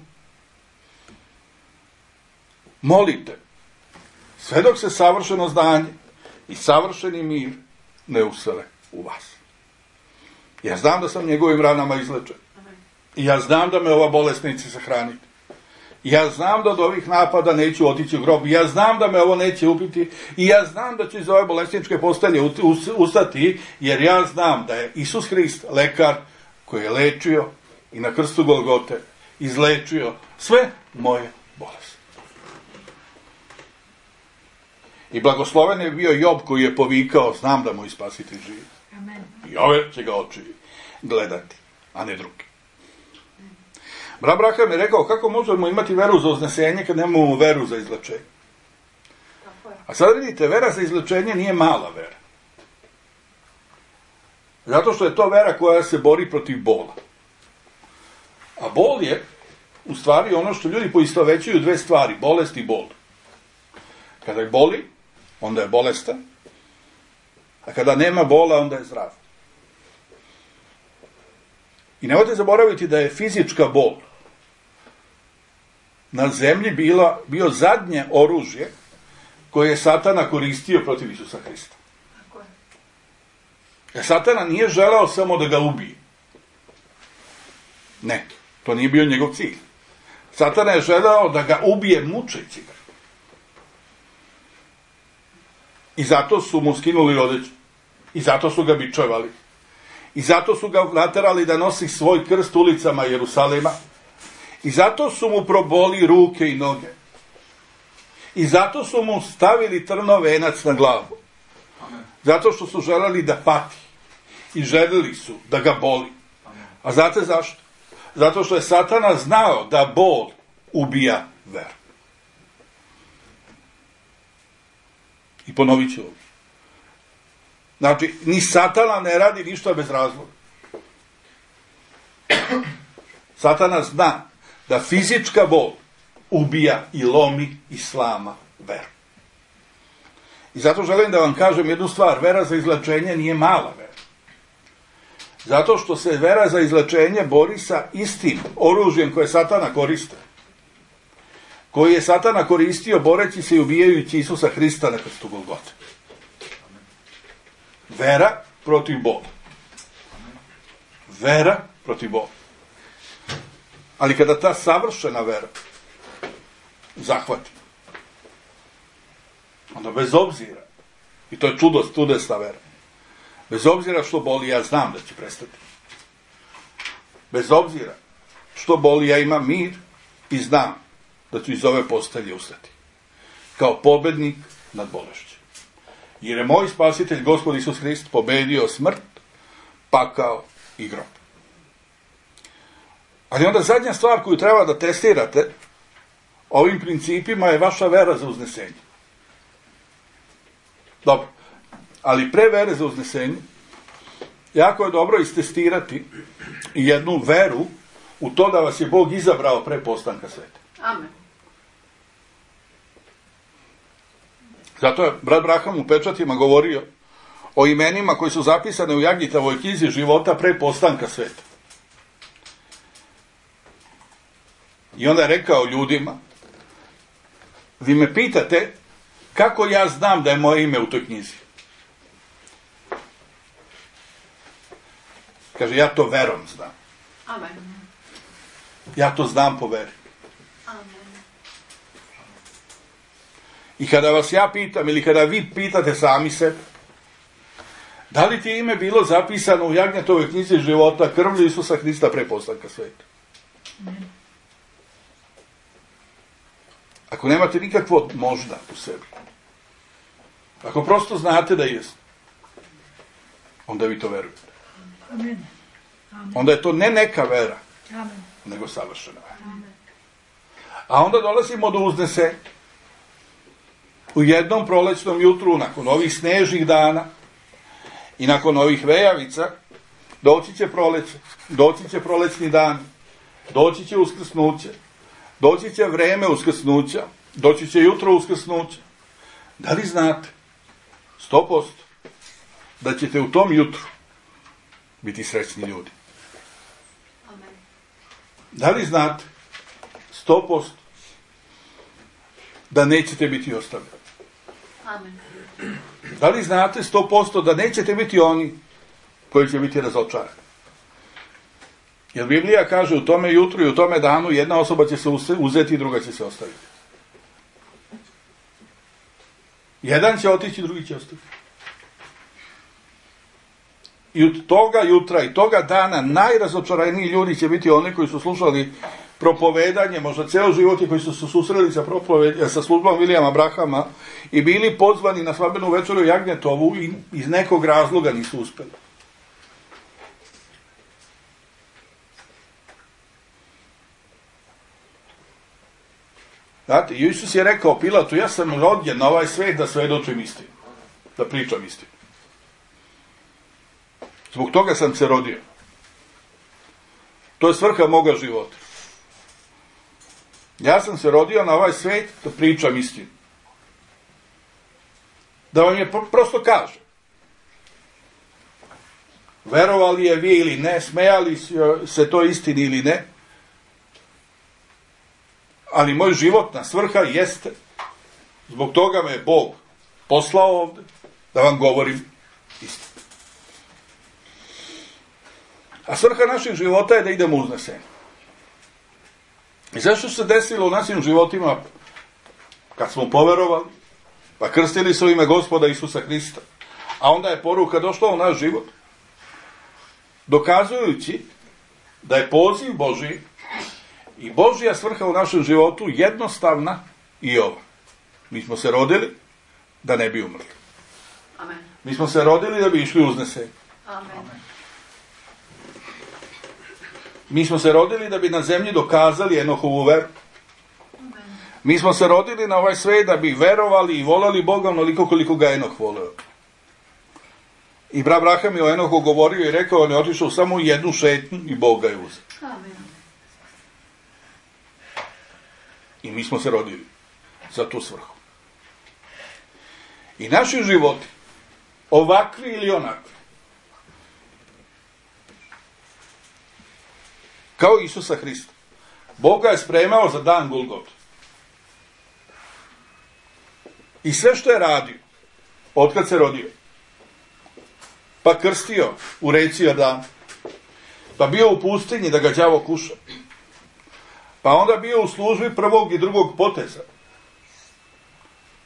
Molite, sve dok se savršeno znanje i savršeni mir ne usele u vas. Ja znam da sam njegovim ranama izlečen. I ja znam da me ova bolest neće sahraniti. Ja znam da od ovih napada neću otići u grob. Ja znam da me ovo neće ubiti. I ja znam da ću iz ove bolesničke postelje ustati, jer ja znam da je Isus Hrist lekar koji je lečio i na krstu Golgote izlečio sve moje bolesti. I blagosloven je bio Job koji je povikao, znam da moj spasitelj živi. Amen. I ove će ga oči gledati, a ne drugi. Brat Braham je rekao, kako možemo imati veru za uznesenje kad nemamo veru za izlečenje? A sad vidite, vera za izlečenje nije mala vera. Zato što je to vera koja se bori protiv bola. A bol je, u stvari, ono što ljudi poistovećuju dve stvari, bolest i bol. Kada je boli, onda je bolestan, a kada nema bola, onda je zdrav. I nemojte zaboraviti da je fizička bol na zemlji bio zadnje oružje koje je Satana koristio protiv Isusa Hrista. Jer Satana nije želeo samo da ga ubije. Ne, to nije bio njegov cilj. Satana je želeo da ga ubije mučeći ga. I zato su mu skinuli odeću. I zato su ga bičevali. I zato su ga naterali da nosi svoj krst ulicama Jerusalima. I zato su mu proboli ruke i noge. I zato su mu stavili trnov venac na glavu. Zato što su želeli da pati. I želeli su da ga boli. A znate zašto? Zato što je Satana znao da bol ubija veru. I ponovit ću ovo. Znači, ni Satana ne radi ništa bez razloga. Satana zna da fizička bol ubija i lomi i slama veru. I zato želim da vam kažem jednu stvar. Vera za izlečenje nije mala vera. Zato što se vera za izlečenje bori sa istim oružjem koje Satana koriste. Koji je Satana koristio boreći se i ubijajući Isusa Hrista na krstu Golgote. Vera protiv bola. Vera protiv bola. Ali kada ta savršena vera zahvati, onda bez obzira, i to je čudesna vera, bez obzira što boli, ja znam da će prestati. Bez obzira što boli, ja imam mir i znam da ću iz ove postelje ustati. Kao pobednik nad bolešću. Jer je moj spasitelj, Gospod Isus Hrist, pobedio smrt, pakao i grob. Ali onda zadnja stvar koju treba da testirate ovim principima je vaša vera za uznesenje. Dobro. Ali pre vere za uznesenje, jako je dobro istestirati jednu veru u to da vas je Bog izabrao pre postanka sveta. Amen. Zato je brat Braham u pečatima govorio o imenima koji su zapisane u Jagitavoj knjizi života pre postanka sveta. I onda je rekao ljudima, vi me pitate kako ja znam da je moje ime u toj knjizi. Kaže, ja to verom znam. Amen. Ja to znam po veri. Amen. I kada vas ja pitam, ili kada vi pitate sami sebe, da li ti je ime bilo zapisano u Jagnjetovoj knjizi života krvlju Isusa Hrista pre postanka sveta? Ako nemate nikakvo možda u sebi, ako prosto znate da jeste, onda vi to verujete. Amen. Amen. Onda je to ne neka vera, Amen. nego savršena vera. Amen. A onda dolazimo do uznesenja. U jednom prolećnom jutru, nakon ovih snežnih dana i nakon ovih vejavica, doći će proleće, doći će prolećni dan, doći će uskrsnuće, doći će vreme uskrsnuća, doći će jutro uskrsnuća. Da li znate 100% da ćete u tom jutru biti srećni ljudi? Amen. Da li znate 100% da nećete biti ostavljeni? Amen. Da li znate 100% da nećete biti oni koji će biti razočarani? Jer Biblija kaže u tome jutru i u tome danu jedna osoba će se uzeti i druga će se ostaviti. Jedan će otići, drugi će ostati. I od toga jutra i toga dana najrazočaraniji ljudi će biti oni koji su slušali propovedanje, možda ceo život i koji su se susreli sa službom Vilijama Brahama i bili pozvani na svadbenu večeru u Jagnjetovu i iz nekog razloga nisu uspeli. Znate, Isus je rekao Pilatu, ja sam rođen na ovaj svet da svedočim istinu, da pričam istinu. Zbog toga sam se rodio. To je svrha moga života. Ja sam se rodio na ovaj svet da pričam istinu. Da vam je prosto kažem. Verovali je vi ili ne, smejali se to istini ili ne, ali moj životna svrha jeste, zbog toga me je Bog poslao ovde, da vam govorim istinu. A svrha naših života je da idemo uzneseni. I zašto se desilo u našim životima kad smo poverovali, pa krstili su ime Gospoda Isusa Hrista, a onda je poruka došla u naš život, dokazujući da je poziv Božji i Božja svrha u našem životu jednostavna i ova. Mi smo se rodili da ne bi umrli. Amen. Mi smo se rodili da bi išli uzneseni. Amen. Mi smo se rodili da bi na zemlji dokazali Enohovu veru. Mi smo se rodili na ovaj svet da bi verovali i volali Boga onoliko koliko ga Enoh voleo. I brat Abraham je o Enohu govorio i rekao, on je otišao samo u jednu šetnju i Bog ga je uzeo. Amen. I mi smo se rodili za tu svrhu. I naši životi, ovakvi ili onakvi, kao Isusa Hrista, Bog ga je spremao za dan Golgote. I sve što je radio, otkad se rodio, pa krstio u reci Jordan, pa bio u pustinji da ga đavo kuša, pa onda bio u službi prvog i drugog poteza.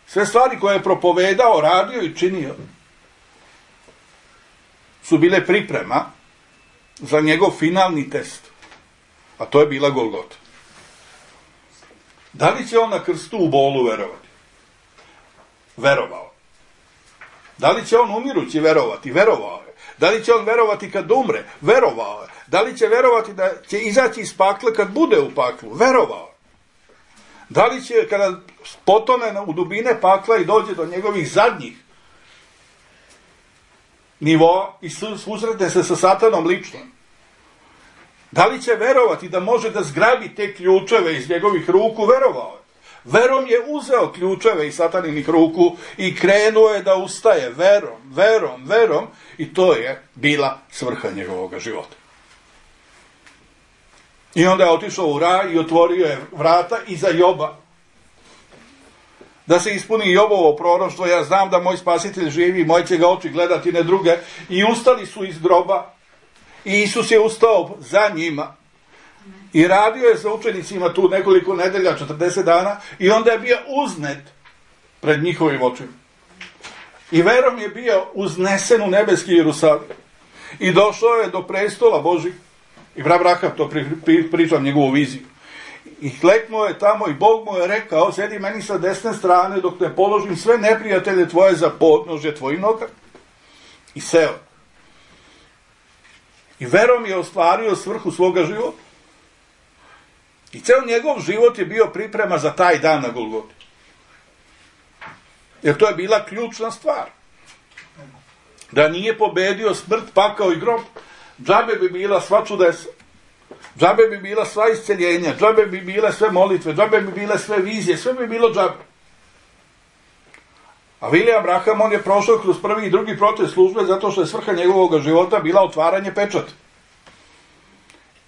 Sve stvari koje je propovedao, radio i činio su bile priprema za njegov finalni test. A to je bila Golgota. Da li će on na krstu u bolu verovati? Verovao. Da li će on umirući verovati? Verovao je. Da li će on verovati kad umre? Verovao je. Da li će verovati da će izaći iz pakla kad bude u paklu? Verovao je. Da li će kada potone u dubine pakla i dođe do njegovih zadnjih nivoa i susretne se sa Satanom lično? Da li će verovati da može da zgrabi te ključeve iz njegovih ruku? Verovao je. Verom je uzeo ključeve iz Sataninih ruku i krenuo je da ustaje verom i to je bila svrha njegovog života. I onda je otišao u raj i otvorio je vrata i za Joba. Da se ispuni Jobovo proroštvo, ja znam da moj spasitelj živi, moji će ga oči gledati, ne druge. I ustali su iz groba i Isus je ustao za njima. I radio je sa učenicima tu nekoliko nedelja, 40 dana, i onda je bio uznet pred njihovim očima. I verom je bio uznesen u nebeski Jerusalim. I došao je do prestola Božih. I brat Abraham, to pričam njegovu viziju. I kleknuo je tamo i Bog mu je rekao, sedi meni sa desne strane dok ne položim sve neprijatelje tvoje za podnožje tvojih noga. I seo. I verom je ostvario svrhu svoga života. I ceo njegov život je bio priprema za taj dan na Golgoti. Jer to je bila ključna stvar. Da nije pobedio smrt, pakao i grob, džabe bi bila sva čudesa. Džabe bi bila sva isceljenja, džabe bi bile sve molitve, džabe bi bile sve vizije, sve bi bilo džabe. A Vilija Abraham, on je prošao kroz prvi i drugi protest službe zato što je svrha njegovog života bila otvaranje pečata.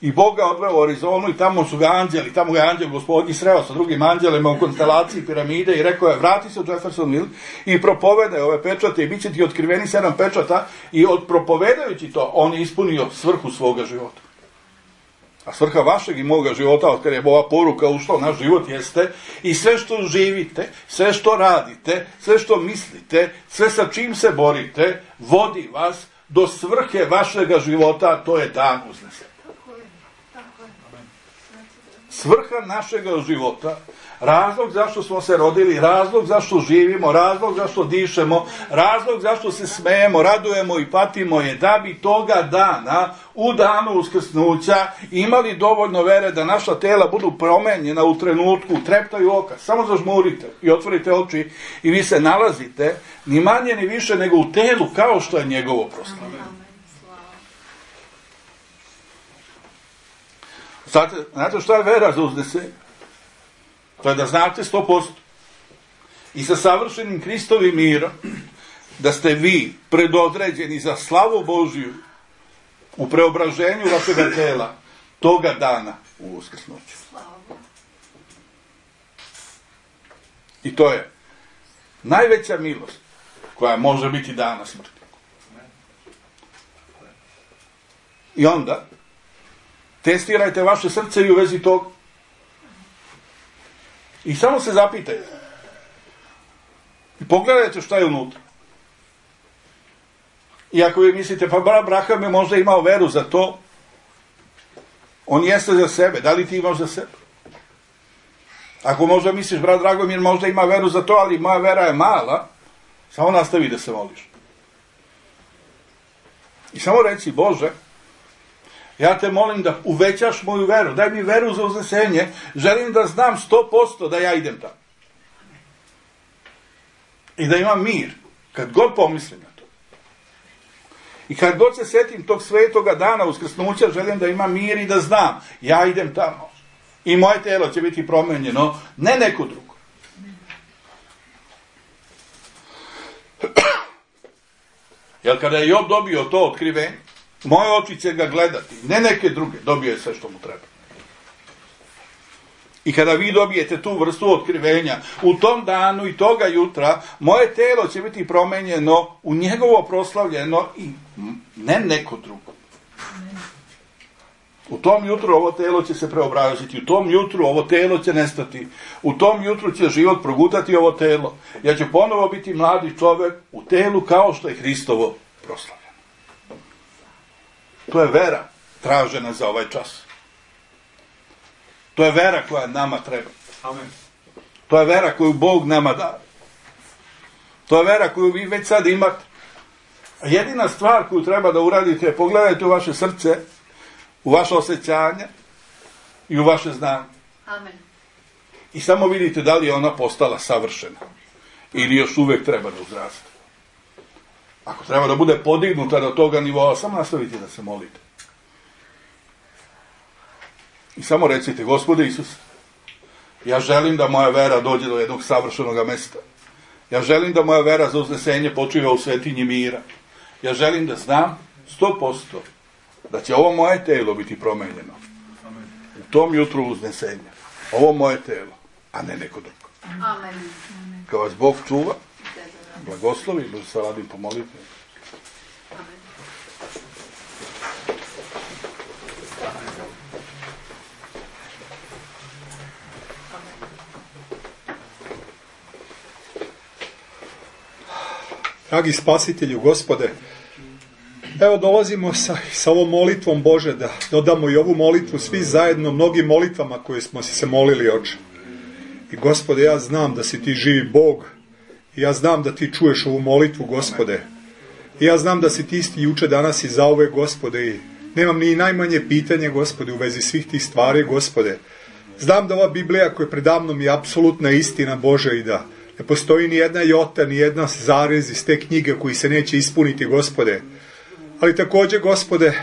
I Bog ga odveo u Arizonu i tamo su ga anđeli, tamo ga je anđel Gospodnji sreo sa drugim anđelima u konstelaciji piramide i rekao je, vrati se u Jeffersonville i propovedaj ove pečate i bit će ti otkriveni 7 pečata i propovedajući to, on je ispunio svrhu svoga života. A svrha vašeg i moga života, od kada je ova poruka ušla u naš život, jeste i sve što živite, sve što radite, sve što mislite, sve sa čim se borite, vodi vas do svrhe vašega života, a to je dan uznesenja. Svrha našega života, razlog zašto smo se rodili, razlog zašto živimo, razlog zašto dišemo, razlog zašto se smejemo, radujemo i patimo je da bi toga dana, u danu uskrsnuća, imali dovoljno vere da naša tela budu promenjena u trenutku, u treptaju oka. Samo zažmurite i otvorite oči i vi se nalazite ni manje ni više nego u telu kao što je njegovo proslavljeno. Znate šta je vera za uznesenje? To je da znate 100% i sa savršenim Kristovim mirom da ste vi predodređeni za slavu Božiju u preobraženju vašega tela toga dana u uskrsnuću. I to je najveća milost koja može biti dana smrti. I onda testirajte vaše srce i u vezi toga. I samo se zapitajte. I pogledajte šta je unutra. I ako vi mislite, pa Abraham je možda imao veru za to, on jeste za sebe. Da li ti imaš za sebe? Ako možda misliš, brat Dragomir možda ima veru za to, ali moja vera je mala, samo nastavi da se moliš. I samo reci, Bože, ja te molim da uvećaš moju veru. Daj mi veru za uznesenje. Želim da znam 100% da ja idem tamo. I da imam mir. Kad god pomislim na to. I kad god se setim tog svetoga dana uskrsnuća, želim da imam mir i da znam. Ja idem tamo. I moje telo će biti promenjeno. Ne neko drugo. Jer kada je Job dobio to otkrivenje, moje oči će ga gledati, ne neke druge, dobio je sve što mu treba. I kada vi dobijete tu vrstu otkrivenja, u tom danu i toga jutra, moje telo će biti promenjeno u njegovo proslavljeno i ne neko drugo. U tom jutru ovo telo će se preobraziti, u tom jutru ovo telo će nestati, u tom jutru će život progutati ovo telo. Ja ću ponovo biti mladi čovjek u telu kao što je Hristovo proslavljeno. To je vera tražena za ovaj čas. To je vera koja nama treba. Amen. To je vera koju Bog nama da. To je vera koju vi već sad imate. A jedina stvar koju treba da uradite je pogledajte u vaše srce, u vaše osjećanje i u vaše znanje. Amen. I samo vidite da li je ona postala savršena ili još uvijek treba da uzraste. Ako treba da bude podignuta do toga nivoa, samo nastavite da se molite. I samo recite, Gospode Isuse, ja želim da moja vera dođe do jednog savršenog mesta. Ja želim da moja vera za uznesenje počiva u svetinji mira. Ja želim da znam 100% da će ovo moje telo biti promenjeno. U tom jutru uznesenja. Ovo moje telo, a ne neko drugo. Amen. Kad vas Bog čuva, blagoslovi, da se radim pomoliti. Dragi spasitelju, Gospode, evo dolazimo sa ovom molitvom, Bože, da dodamo i ovu molitvu svi zajedno mnogim molitvama koje smo se molili, Oče. I Gospode, ja znam da si ti živi Bog, i ja znam da ti čuješ ovu molitvu, Gospode. I ja znam da si ti isti juče, danas i zauvek, Gospode, i nemam ni najmanje pitanje, Gospode, u vezi svih tih stvari, Gospode. Znam da ova Biblija koja je predamnom je apsolutna istina, Bože, i da ne postoji ni jedna jota, ni jedna zarez iz te knjige koji se neće ispuniti, Gospode. Ali također, Gospode,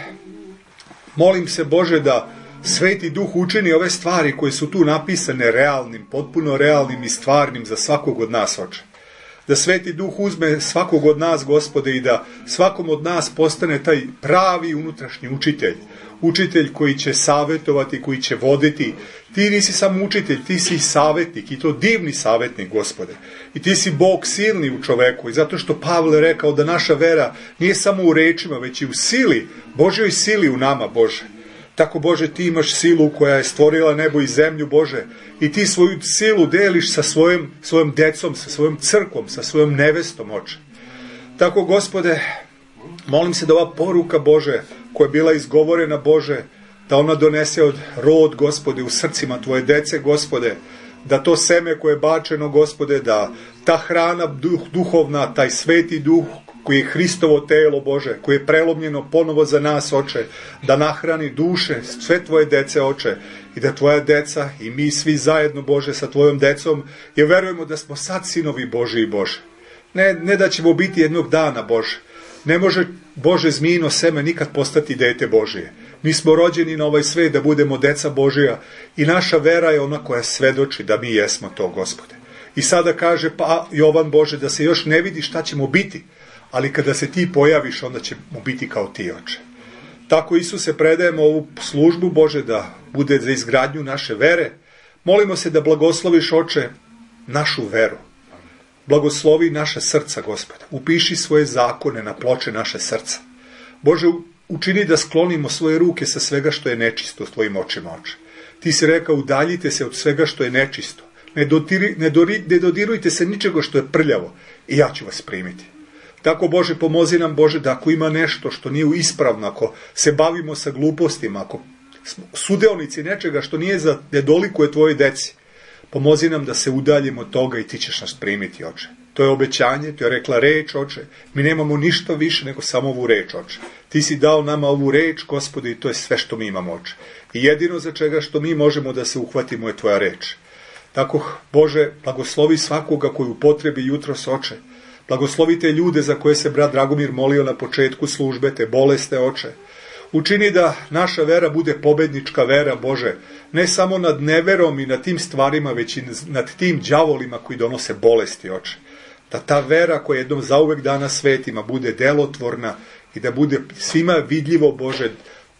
molim se, Bože, da Sveti Duh učini ove stvari koje su tu napisane realnim, potpuno realnim i stvarnim za svakog od nas, Oče. Da Sveti Duh uzme svakog od nas, Gospode, i da svakom od nas postane taj pravi unutrašnji učitelj. Učitelj koji će savjetovati, koji će voditi. Ti nisi samo učitelj, ti si savjetnik, i to divni savjetnik, Gospode. I ti si Bog silni u čoveku. I zato što Pavle rekao da naša vera nije samo u rečima, već i u sili, Božjoj sili u nama, Bože. Tako, Bože, ti imaš silu koja je stvorila nebo i zemlju, Bože, i ti svoju silu deliš sa svojom decom, sa svojom crkvom, sa svojom nevestom, Oče. Tako, Gospode, molim se da ova poruka, Bože, koja je bila izgovorena, Bože, da ona donese od rod, Gospode, u srcima tvoje dece, Gospode, da to seme koje je bačeno, Gospode, da ta hrana duhovna, taj sveti duh koji je Hristovo telo, Bože, koji je prelomljeno ponovo za nas, Oče, da nahrani duše sve tvoje dece, Oče, i da tvoja deca i mi svi zajedno, Bože, sa tvojom decom, jer verujemo da smo sad sinovi Boži i Bože. Ne da ćemo biti jednog dana, Bože. Ne može, Bože, zmijino seme nikad postati dete Božije. Mi smo rođeni na ovaj svet da budemo deca Božija i naša vera je ona koja svedoči da mi jesmo to, Gospode. I sada kaže Jovan, Bože, da se još ne vidi šta ćemo biti, ali kada se ti pojaviš, onda ćemo biti kao ti, Oče. Tako, Isuse, predajemo ovu službu, Bože, da bude za izgradnju naše vere. Molimo se da blagosloviš, Oče, našu veru. Blagoslovi naše srca, Gospode. Upiši svoje zakone na ploče naše srca. Bože, učini da sklonimo svoje ruke sa svega što je nečisto s tvojim očima, Oče. Ti si rekao, udaljite se od svega što je nečisto. Ne dodirujte se ničega što je prljavo i ja ću vas primiti. Tako, Bože, pomozi nam, Bože, da ako ima nešto što nije ispravno, ako se bavimo sa glupostima, ako smo sudeonici nečega što ne dolikuje tvoje deci, pomozi nam da se udaljimo od toga i ti ćeš nas primiti, Oče. To je obećanje, to je rekla reč, Oče. Mi nemamo ništa više nego samo ovu reč, Oče. Ti si dao nama ovu reč, Gospode, i to je sve što mi imamo, Oče. I jedino za čega što mi možemo da se uhvatimo je tvoja reč. Tako, Bože, blagoslovi svakoga koji upotrebi jutros, Oče. Blagoslovi te ljude za koje se brat Dragomir molio na početku službe, te boleste, Oče. Učini da naša vera bude pobednička vera, Bože, ne samo nad neverom i nad tim stvarima, već i nad tim đavolima koji donose bolesti, Oče. Da ta vera koja jednom zauvek dana svetima bude delotvorna i da bude svima vidljivo, Bože,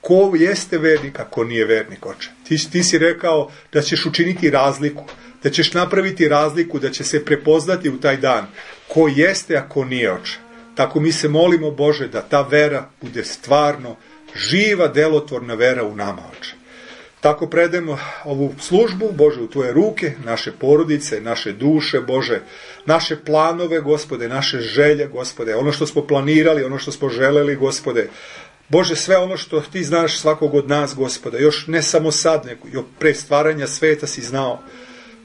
ko jeste vernik, a ko nije vernik, Oče. Ti si rekao da ćeš učiniti razliku, da ćeš napraviti razliku, da će se prepoznati u taj dan ko jeste, a ko nije, Oče. Tako mi se molimo, Bože, da ta vera bude stvarno živa, delotvorna vera u nama, Oče. Tako predajemo ovu službu, Bože, u tvoje ruke, naše porodice, naše duše, Bože, naše planove, Gospode, naše želje, Gospode, ono što smo planirali, ono što smo želeli, Gospode. Bože, sve ono što ti znaš svakog od nas, Gospode, još ne samo sad, nego pre stvaranja sveta si znao.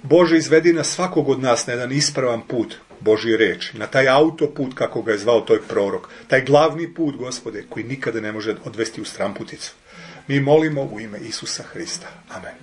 Bože, izvedi nas svakog od nas na jedan ispravan put Božje reči, na taj autoput, kako ga je zvao toj prorok, taj glavni put, Gospode, koji nikada ne može odvesti u stramputicu. Mi molimo u ime Isusa Hrista. Amen.